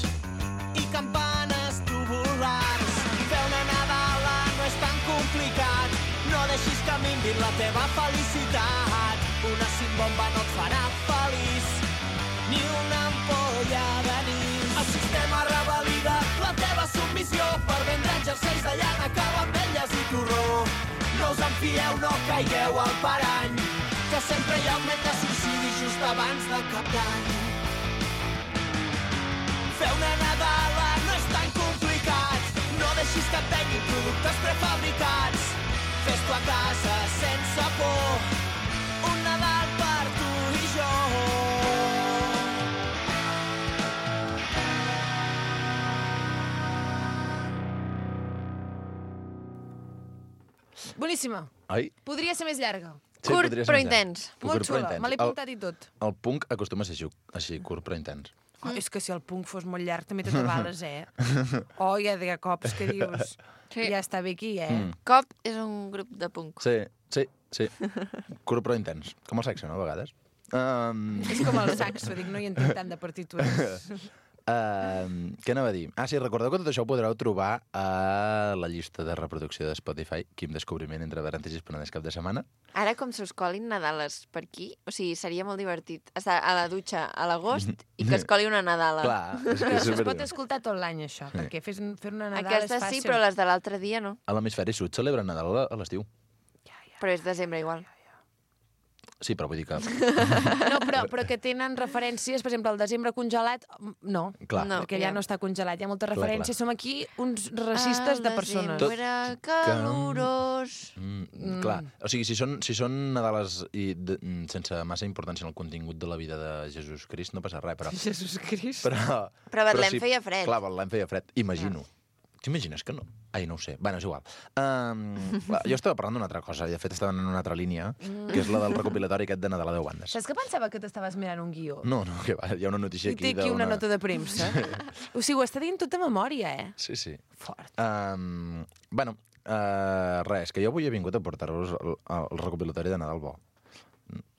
i campanes tubulars. Fer una Nadala no és tan complicat. No deixis que minvin la teva felicitat. Una cimbomba no et farà feliç, ni una ampolla d'anís. El sistema revalida la teva submissió per vendre jerseis de llana, caramelles i torró. No us en fieu, no caigueu al parany, que sempre hi ha augment de suïcidi just abans de cap d'any. Fer una Nadala no és tan complicat. No deixis que et venguin productes prefabricats. Fes-t'ho a casa sense por. Un Nadal per tu i jo. Boníssima. Ai, Podria ser més llarga. sí, Curt, podria ser però més llarg. intens. Curt, Molt però xula, intens. me l'he El- apuntat i tot. El punk acostuma a ser així, així, curt però intens. Oh, és que si el punk fos molt llarg també t'acabales, eh? Oh, hi ha de cops que dius... Sí. Ja està bé aquí, eh? Mm. Cop és un grup de punk. Sí, sí, sí. Curt però intens. Com el sexe, no, a vegades? Um, És com el saxo, dic, no hi entenc tant de partitures. uh, què anava a dir? Ah, sí, recordeu que tot això ho podreu trobar a la llista de reproducció de Spotify, Quim Descobriment entre Parèntesis Penedès cap de setmana. Ara, com se us colin Nadales per aquí, o sigui, seria molt divertit estar a la dutxa a l'agost i que es coli una Nadala. Clar, és que és Això es pot veritat. escoltar tot l'any, això, perquè fer, fer una Nadal Aquesta és fàcil. sí, però les de l'altre dia no. A l'hemisferi sud celebren Nadal a l'estiu. Però és desembre igual. Sí, però vull dir que... No, però, però que tenen referències, per exemple, el desembre congelat, no, Clar. No. perquè ja no està congelat, hi ha moltes Clar, referències. Som aquí uns racistes de persones. Tot- Desembre calorós. Mm, clar, o sigui, si són, si són Nadales i de, mm, sense massa importància en el contingut de la vida de Jesús Crist, no passa res, però... Jesús Crist. Però, Però a Betlem feia fred. Clar, a Betlem feia fred, imagino. T'imagines que no? Ai, no ho sé. Bueno, és igual. Um, clar, jo estava parlant d'una altra cosa, i de fet estava en una altra línia, que és la del recopilatori aquest de Nadal a deu bandes. Saps que pensava que t'estaves mirant un guió? No, no, que va, hi ha una notícia I aquí té aquí una d'una- nota de premsa. O sigui, ho està dient tot de memòria, eh? Sí, sí. Fort. Um, bueno, uh, res, que jo avui he vingut a portar-vos el, el recopilatori de Nadal bo.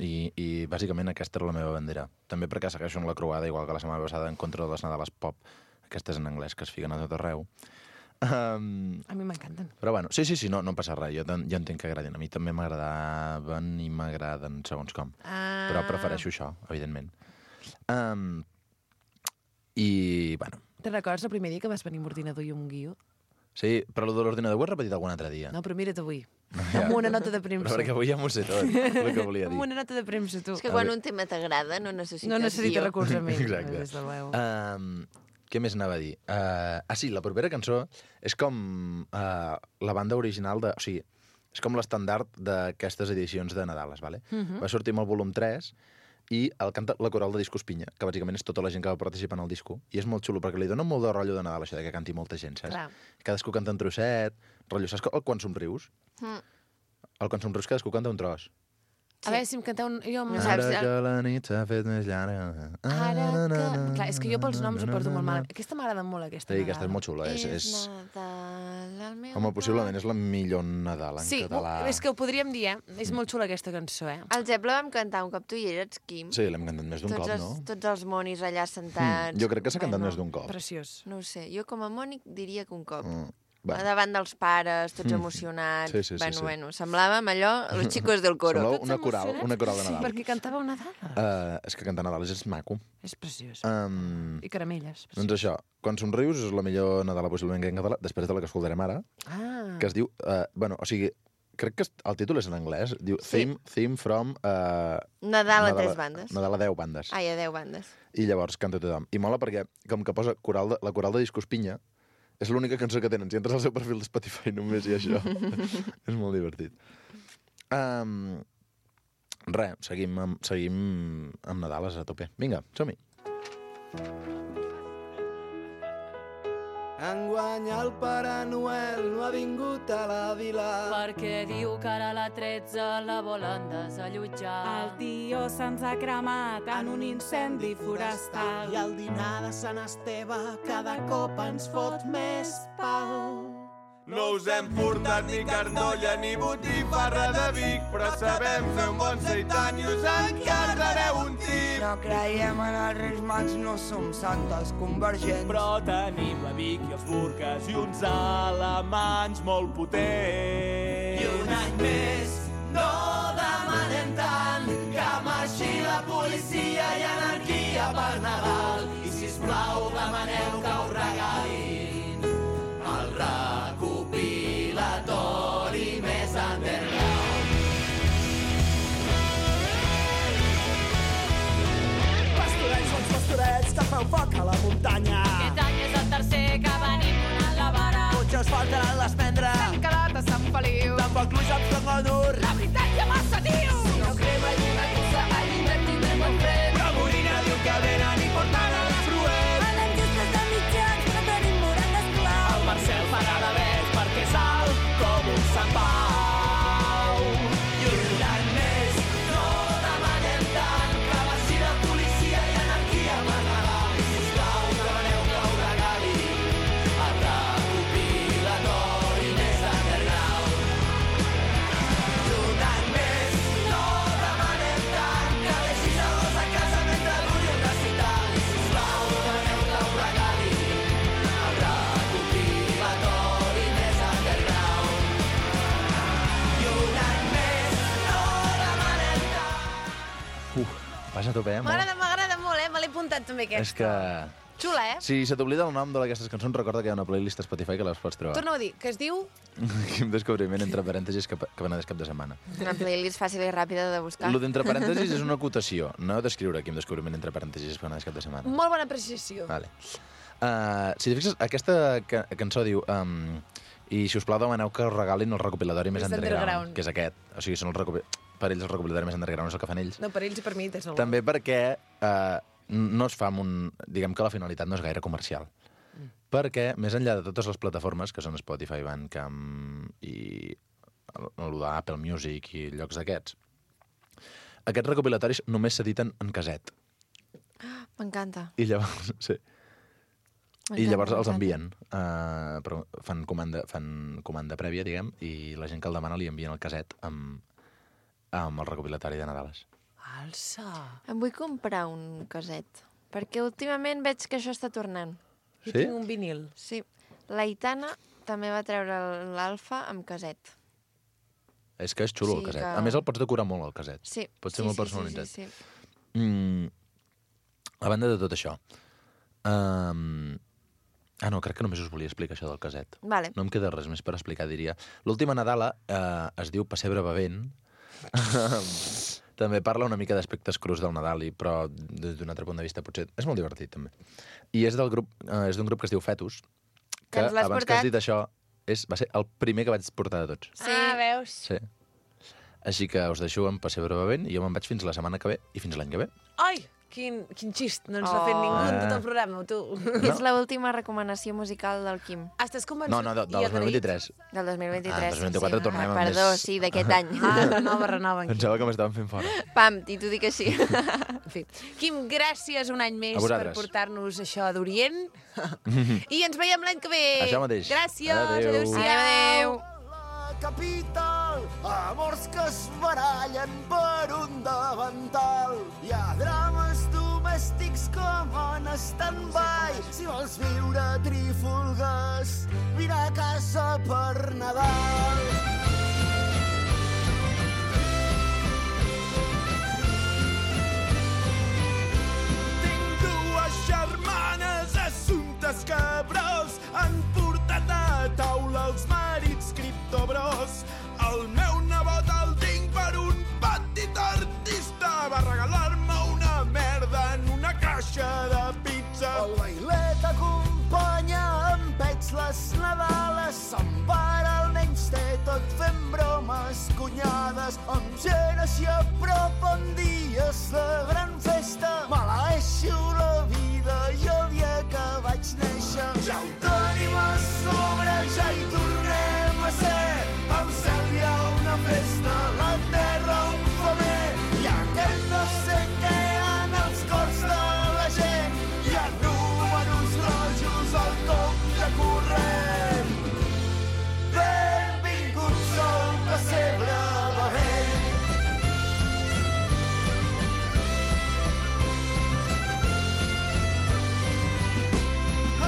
I, I bàsicament aquesta era la meva bandera. També perquè segueixo en la croada, igual que la setmana passada, en contra de les Nadales pop, aquestes en anglès que es fiquen a tot arreu. Um, A mi m'encanten. però bueno, sí, sí, sí, no, no passa res. Jo, ten- jo entenc que agradin. A mi també m'agradaven i m'agraden segons com. Ah. Però prefereixo això, evidentment. Um, I, bueno, Te'n recordes el primer dia que vas venir amb ordinador i amb un guió? sí, però el de l'ordinador ho he repetit algun altre dia. No, però mira't avui. Ja. Amb una nota de Però premsa. perquè avui ja m'ho sé tot, el que volia dir. Amb una nota de premsa, tu. És que quan un tema t'agrada no necessites No necessita guió. recolzament. Exacte. Des de l'eu. Um, què més anava a dir? Uh, ah, sí, la propera cançó és com uh, la banda original de... O sigui, és com l'estandard d'aquestes edicions de Nadales, vale? Uh -huh. Va sortir amb el volum tres i el canta la coral de Disco Espinya, que bàsicament és tota la gent que va participar en el disco. I és molt xulo, perquè li dona molt de rotllo de Nadal, això de que canti molta gent, saps? Clar. Cadascú canta un trosset, rotllo, saps el Quan somrius? Mm. El Quan somrius cadascú canta un tros. A veure, si em canteu un... Jo amb... No saps- Ara que la nit s'ha fet més llarga. Ara que... Clar, és que jo pels noms ho porto molt mal. Aquesta m'agrada molt, aquesta. Sí, aquesta és Nadal. molt xula. És, és... És Nadal al meu Home, possiblement és la millor Nadal en Sí, català. és que ho podríem dir, eh? És molt xula aquesta cançó, eh? El Zep la vam cantar un cop tu hi eres, Quim. Sí, l'hem cantat més d'un tots, cop, els, no? tots els monis allà sentats. Mm, jo crec que s'ha cantat Bueno, més d'un cop. Preciós. No ho sé, jo com a mònic diria que un cop. Mm. Bueno. davant dels pares, tots emocionats. Sí, sí, sí, bueno, sí. bueno, semblàvem allò, els xicos del coro. Semblava una coral, una coral de Sí, Nadal. perquè cantàveu Nadal. Uh, és que cantar Nadal és maco. És preciós. Um, I caramelles. doncs això, quan somrius és la millor Nadala possiblement que en català, després de la que escoltarem ara, Ah. que es diu... Uh, bueno, o sigui, crec que el títol és en anglès. Diu Sí. theme, theme from... Uh, Nadal a tres bandes. Nadal a deu bandes. Ai, a deu bandes. I llavors canta tothom. I mola perquè, com que posa coral de, la coral de Discos Pinya, és l'única cançó que tenen. Si entres al seu perfil de Spotify només hi ha això. És molt divertit. Um, Res, seguim amb, seguim amb Nadales a tope. Vinga, som-hi. Enguany el Pare Noel no ha vingut a la vila. Perquè diu que ara la tretze la volen desallotjar. El tio se'ns ha cremat en un incendi forestal. I el dinar de Sant Esteve cada cop ens fot més pal. No us hem portat ni carnolla ni botifarra de Vic, però sabem fer un bon seitan i us encardareu un tip. No creiem en els Reis Mags, no som santes convergents. Però tenim la Vic i els Burques i uns alemanys molt potents. I un any més no demanem tant, que marxi la policia i anarquia per Nadal. I sisplau demaneu que us regalin el recopilatori més underground. Pastorets, bons pastorets, que feu foc a la muntanya. Aquest any és el tercer que venim donant la vara. Potser us faltaran les prendre. Sant Calat a Sant Feliu. Tampoc pluja amb Flangonur. La veritat ja massa diu. Si no crema i una cosa, a l'hivern tindrem el fred. Que Morina diu que venen i porten els fruets. Anem justes de mitjans, però tenim morandes clau. El Marcel farà la vez perquè és alt com un Sant Pau. I un any més no demanem tant, que marxi la policia i anarquia per Nadal. I sisplau demaneu que us regalin el recopilatori més underground. I un any més no demanem tant, que deixis a gos a casa mentre duri un recital. I sisplau demaneu que us regalin el recopilatori més underground. I un any més no demanem tant. Uf, vas a tope, eh? Molt. M'agrada, m'agrada molt, eh? Me l'he apuntat també, aquesta. És que... Xula, eh? Si se t'oblida el nom d'aquestes cançons, recorda que hi ha una playlist a Spotify que les pots trobar. Torna-ho a dir, que es diu... Quin descobriment, entre parèntesis, que, que van a cap de setmana. Una playlist fàcil i ràpida de buscar. Lo d'entre parèntesis és una acotació, no d'escriure quin descobriment entre parèntesis que van a cap de setmana. Molt bona apreciació. Vale. Uh, si t'hi fixes, aquesta ca cançó diu... Um, I, si us plau, demaneu que us regalin el recopilatori més Més underground, underground. que és aquest. O sigui, són el recopi... per ells el recopilatori més underground és el que fan ells. No, per ells i per mi, des del També perquè uh, no es fa amb un... Diguem que la finalitat no és gaire comercial. Mm. Perquè, més enllà de totes les plataformes, que són Spotify, Bandcamp i el d'Apple Music i llocs d'aquests, aquests recopilatoris només s'editen en caset. M'encanta. I llavors, sí. I llavors els envien. Uh, però fan comanda, fan comanda prèvia, diguem, i la gent que el demana li envien el caset amb, amb el recopilatori de Nadales. Alça! Em vull comprar un caset, perquè últimament veig que això està tornant. Jo Sí? tinc un vinil. Sí. L'Aitana també va treure l'Alfa amb caset. És que és xulo, Sí, el caset. que- A més, el pots decorar molt, el caset. Sí. Pot ser sí, molt sí, personalitzat. Sí, sí, sí. Mm, a banda de tot això... Um, ah, no, crec que només us volia explicar això del caset. Vale. No em queda res més per explicar, diria. L'última Nadala eh, es diu Pessebre bevent. També parla una mica d'aspectes crus del Nadal, i, però des d'un altre punt de vista potser... És molt divertit, també. I és del grup, eh, és d'un grup que es diu Fetus, que Que ens l'has abans que portat? has dit això, és, va ser el primer que vaig portar de tots. Sí. Ah, veus? Sí. Així que us deixo amb Pessebre bevent i jo me'n vaig fins la setmana que ve i fins l'any que ve. Ai, quin, quin xist. No ens l'ha fet Oh. ningú en tot Ah. el programa, tu. És l'última recomanació musical del Quim. Estàs convençut? No, no, de, de i dos mil agraït? vint-i-tres. Del dos mil vint-i-tres. Ah, dos mil vint-i-quatre sí. tornem ah, amb Perdó, més- sí, d'aquest any. Ah, renova, renova. Quim. Pensava que m'estaven fent fora. Pam, i t'ho dic així. En fi. Quim, gràcies un any més A per vosaltres. portar-nos això d'Orient. I ens veiem l'any que ve. Això mateix. Gràcies. Adéu. Adéu-siau. Adéu. La capital, amors que es barallen per un davantal. Hi ha drames domèstics com en stand-by. Si vols viure trífolgues, vine a casa per Nadal. Tinc dues germanes assumptes cabrós, han portat a taula els marits criptobros. El meu nebot el tinc per un petit artista, va regalar-me una merda en una caixa de pizza. El bailet acompanya amb pets les Nadales, se'n para el menys té tot fent bromes cunyades, amb gent així a prop en dies de gran festa. Maleeixo la vida i el dia que vaig néixer. Ja ho tenim a sobre, ja hi tornem a ser. Al cel hi ha una festa, la terra un femer. Hi ha aquest no sé què en els cors de la gent. Hi ha números rojos al compte corrent. Benvingut sol pessebre bevent.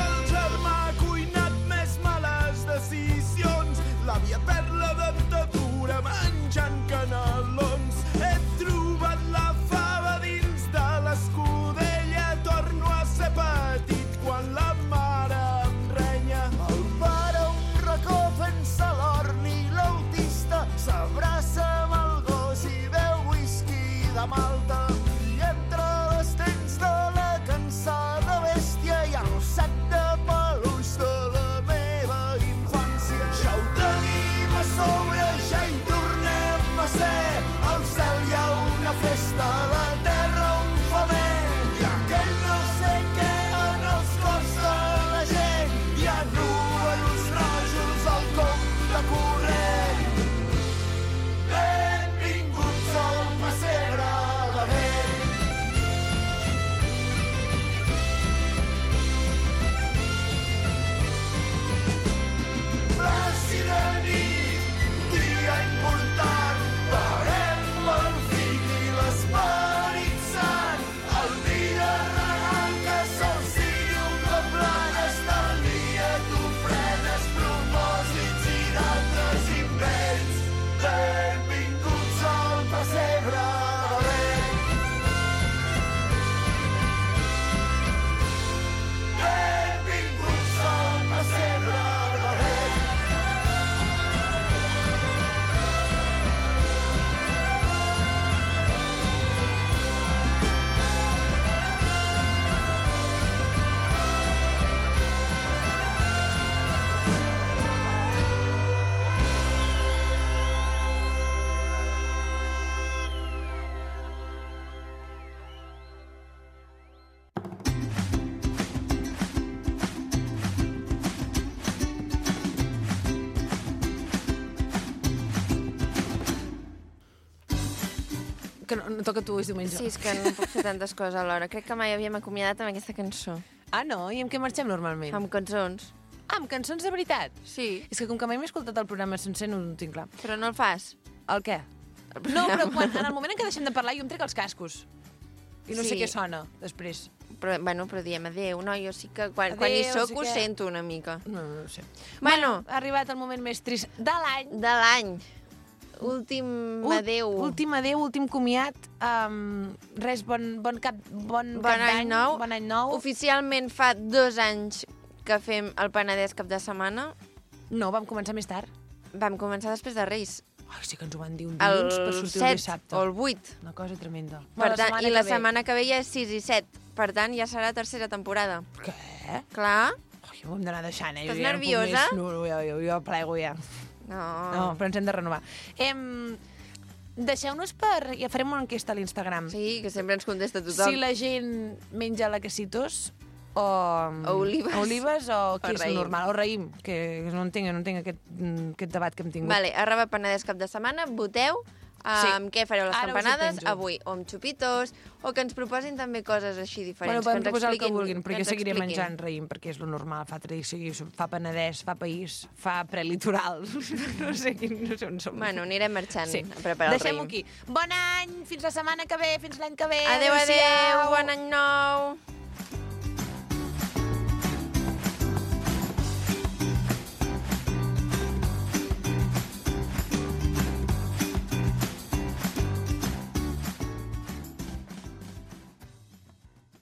El germà ha cuinat més males decisions, l'àvia perd la dentadura menjant canelons. He trobat la fava dins de l'escudella, torno a ser petit quan la mare em renya. El pare un racó fent-se l'orn i l'autista s'abraça amb el gos i beu whisky de Malta. I entre les dents de la cansada bèstia hi ha el sac de peluix de la meva infància. Ja ho tenim a sobre, ja hi tornem a ser. Al cel hi ha una festa, la terra un femer. Hi ha aquell no sé què en els cors de la gent. Hi ha números rojos al compte corrent. Benvinguts al pessebre bevent. Plàcida nit, dia important, veurem el fill i l'esperit sant. El dia regal que sol sigui un cop l'any, estalvia t'ofrenes, propòsits i d'altres invents. Benvinguts al pessebre bevent. Benvinguts al pessebre bevent. Que no, no toca tu, és diumenge. Sí, és que no puc fer tantes coses alhora. Crec que mai havíem acomiadat amb aquesta cançó. Ah, no? I amb què marxem normalment? Amb cançons. Ah, amb cançons de veritat? Sí. És que com que mai m'he escoltat el programa sencer no ho tinc clar. Però no el fas? El què? No, però quan, en el moment en què deixem de parlar jo em trec els cascos. I no Sí. sé què sona després. Però, bueno, però diem adéu, no? Jo sí que quan, quan hi Adéu, soc sí ho que- sento una mica. No, no ho sé. Bueno, Ha arribat el moment més trist de l'any. de l'any. Últim Ul- adéu. Últim adéu, últim comiat. Um, res, bon, bon cap, bon Bon cap any d'any. nou. Bon any nou. Oficialment fa dos anys que fem el Penedès cap de setmana. No, vam començar més tard. Vam començar després de Reis. Ai, sí que ens ho van dir un El dilluns per sortir el set dissabte. o el vuit. Una cosa tremenda. Per tant, I la que ve. setmana que ve ja és sis i set. Per tant, ja serà tercera temporada. Què? Clar. Ai, ho hem d'anar deixant, eh? Estàs Jo ja no puc nerviosa? més. No, no, jo, jo, jo plego ja. No. No, però ens hem de renovar. Em... Deixeu-nos per... Ja farem una enquesta a l'Instagram. Sí, que sempre ens contesta tothom. Si la gent menja lacacitos o... O olives. O olives o què O és raïm. normal? O raïm, que no entenc, no entenc aquest, mm, aquest debat que hem tingut. Vale, arroba Penedès cap de setmana, voteu Sí. amb què fareu les Ara us ho campanades penjo. avui, o amb xupitos, o que ens proposin també coses així Bueno, diferents. poden que ens proposar el que expliquin- vulguin, perquè ens seguiré expliquin. menjant raïm, perquè és lo normal, fa tradició, fa penedès, fa país, fa prelitoral. no sé quin, no sé on som. Bueno, anirem marxant Sí. a preparar el Deixem-ho raïm. aquí. Bon any, fins la setmana que ve, fins l'any que ve. Adéu, adéu, Adéu-siau. bon any nou!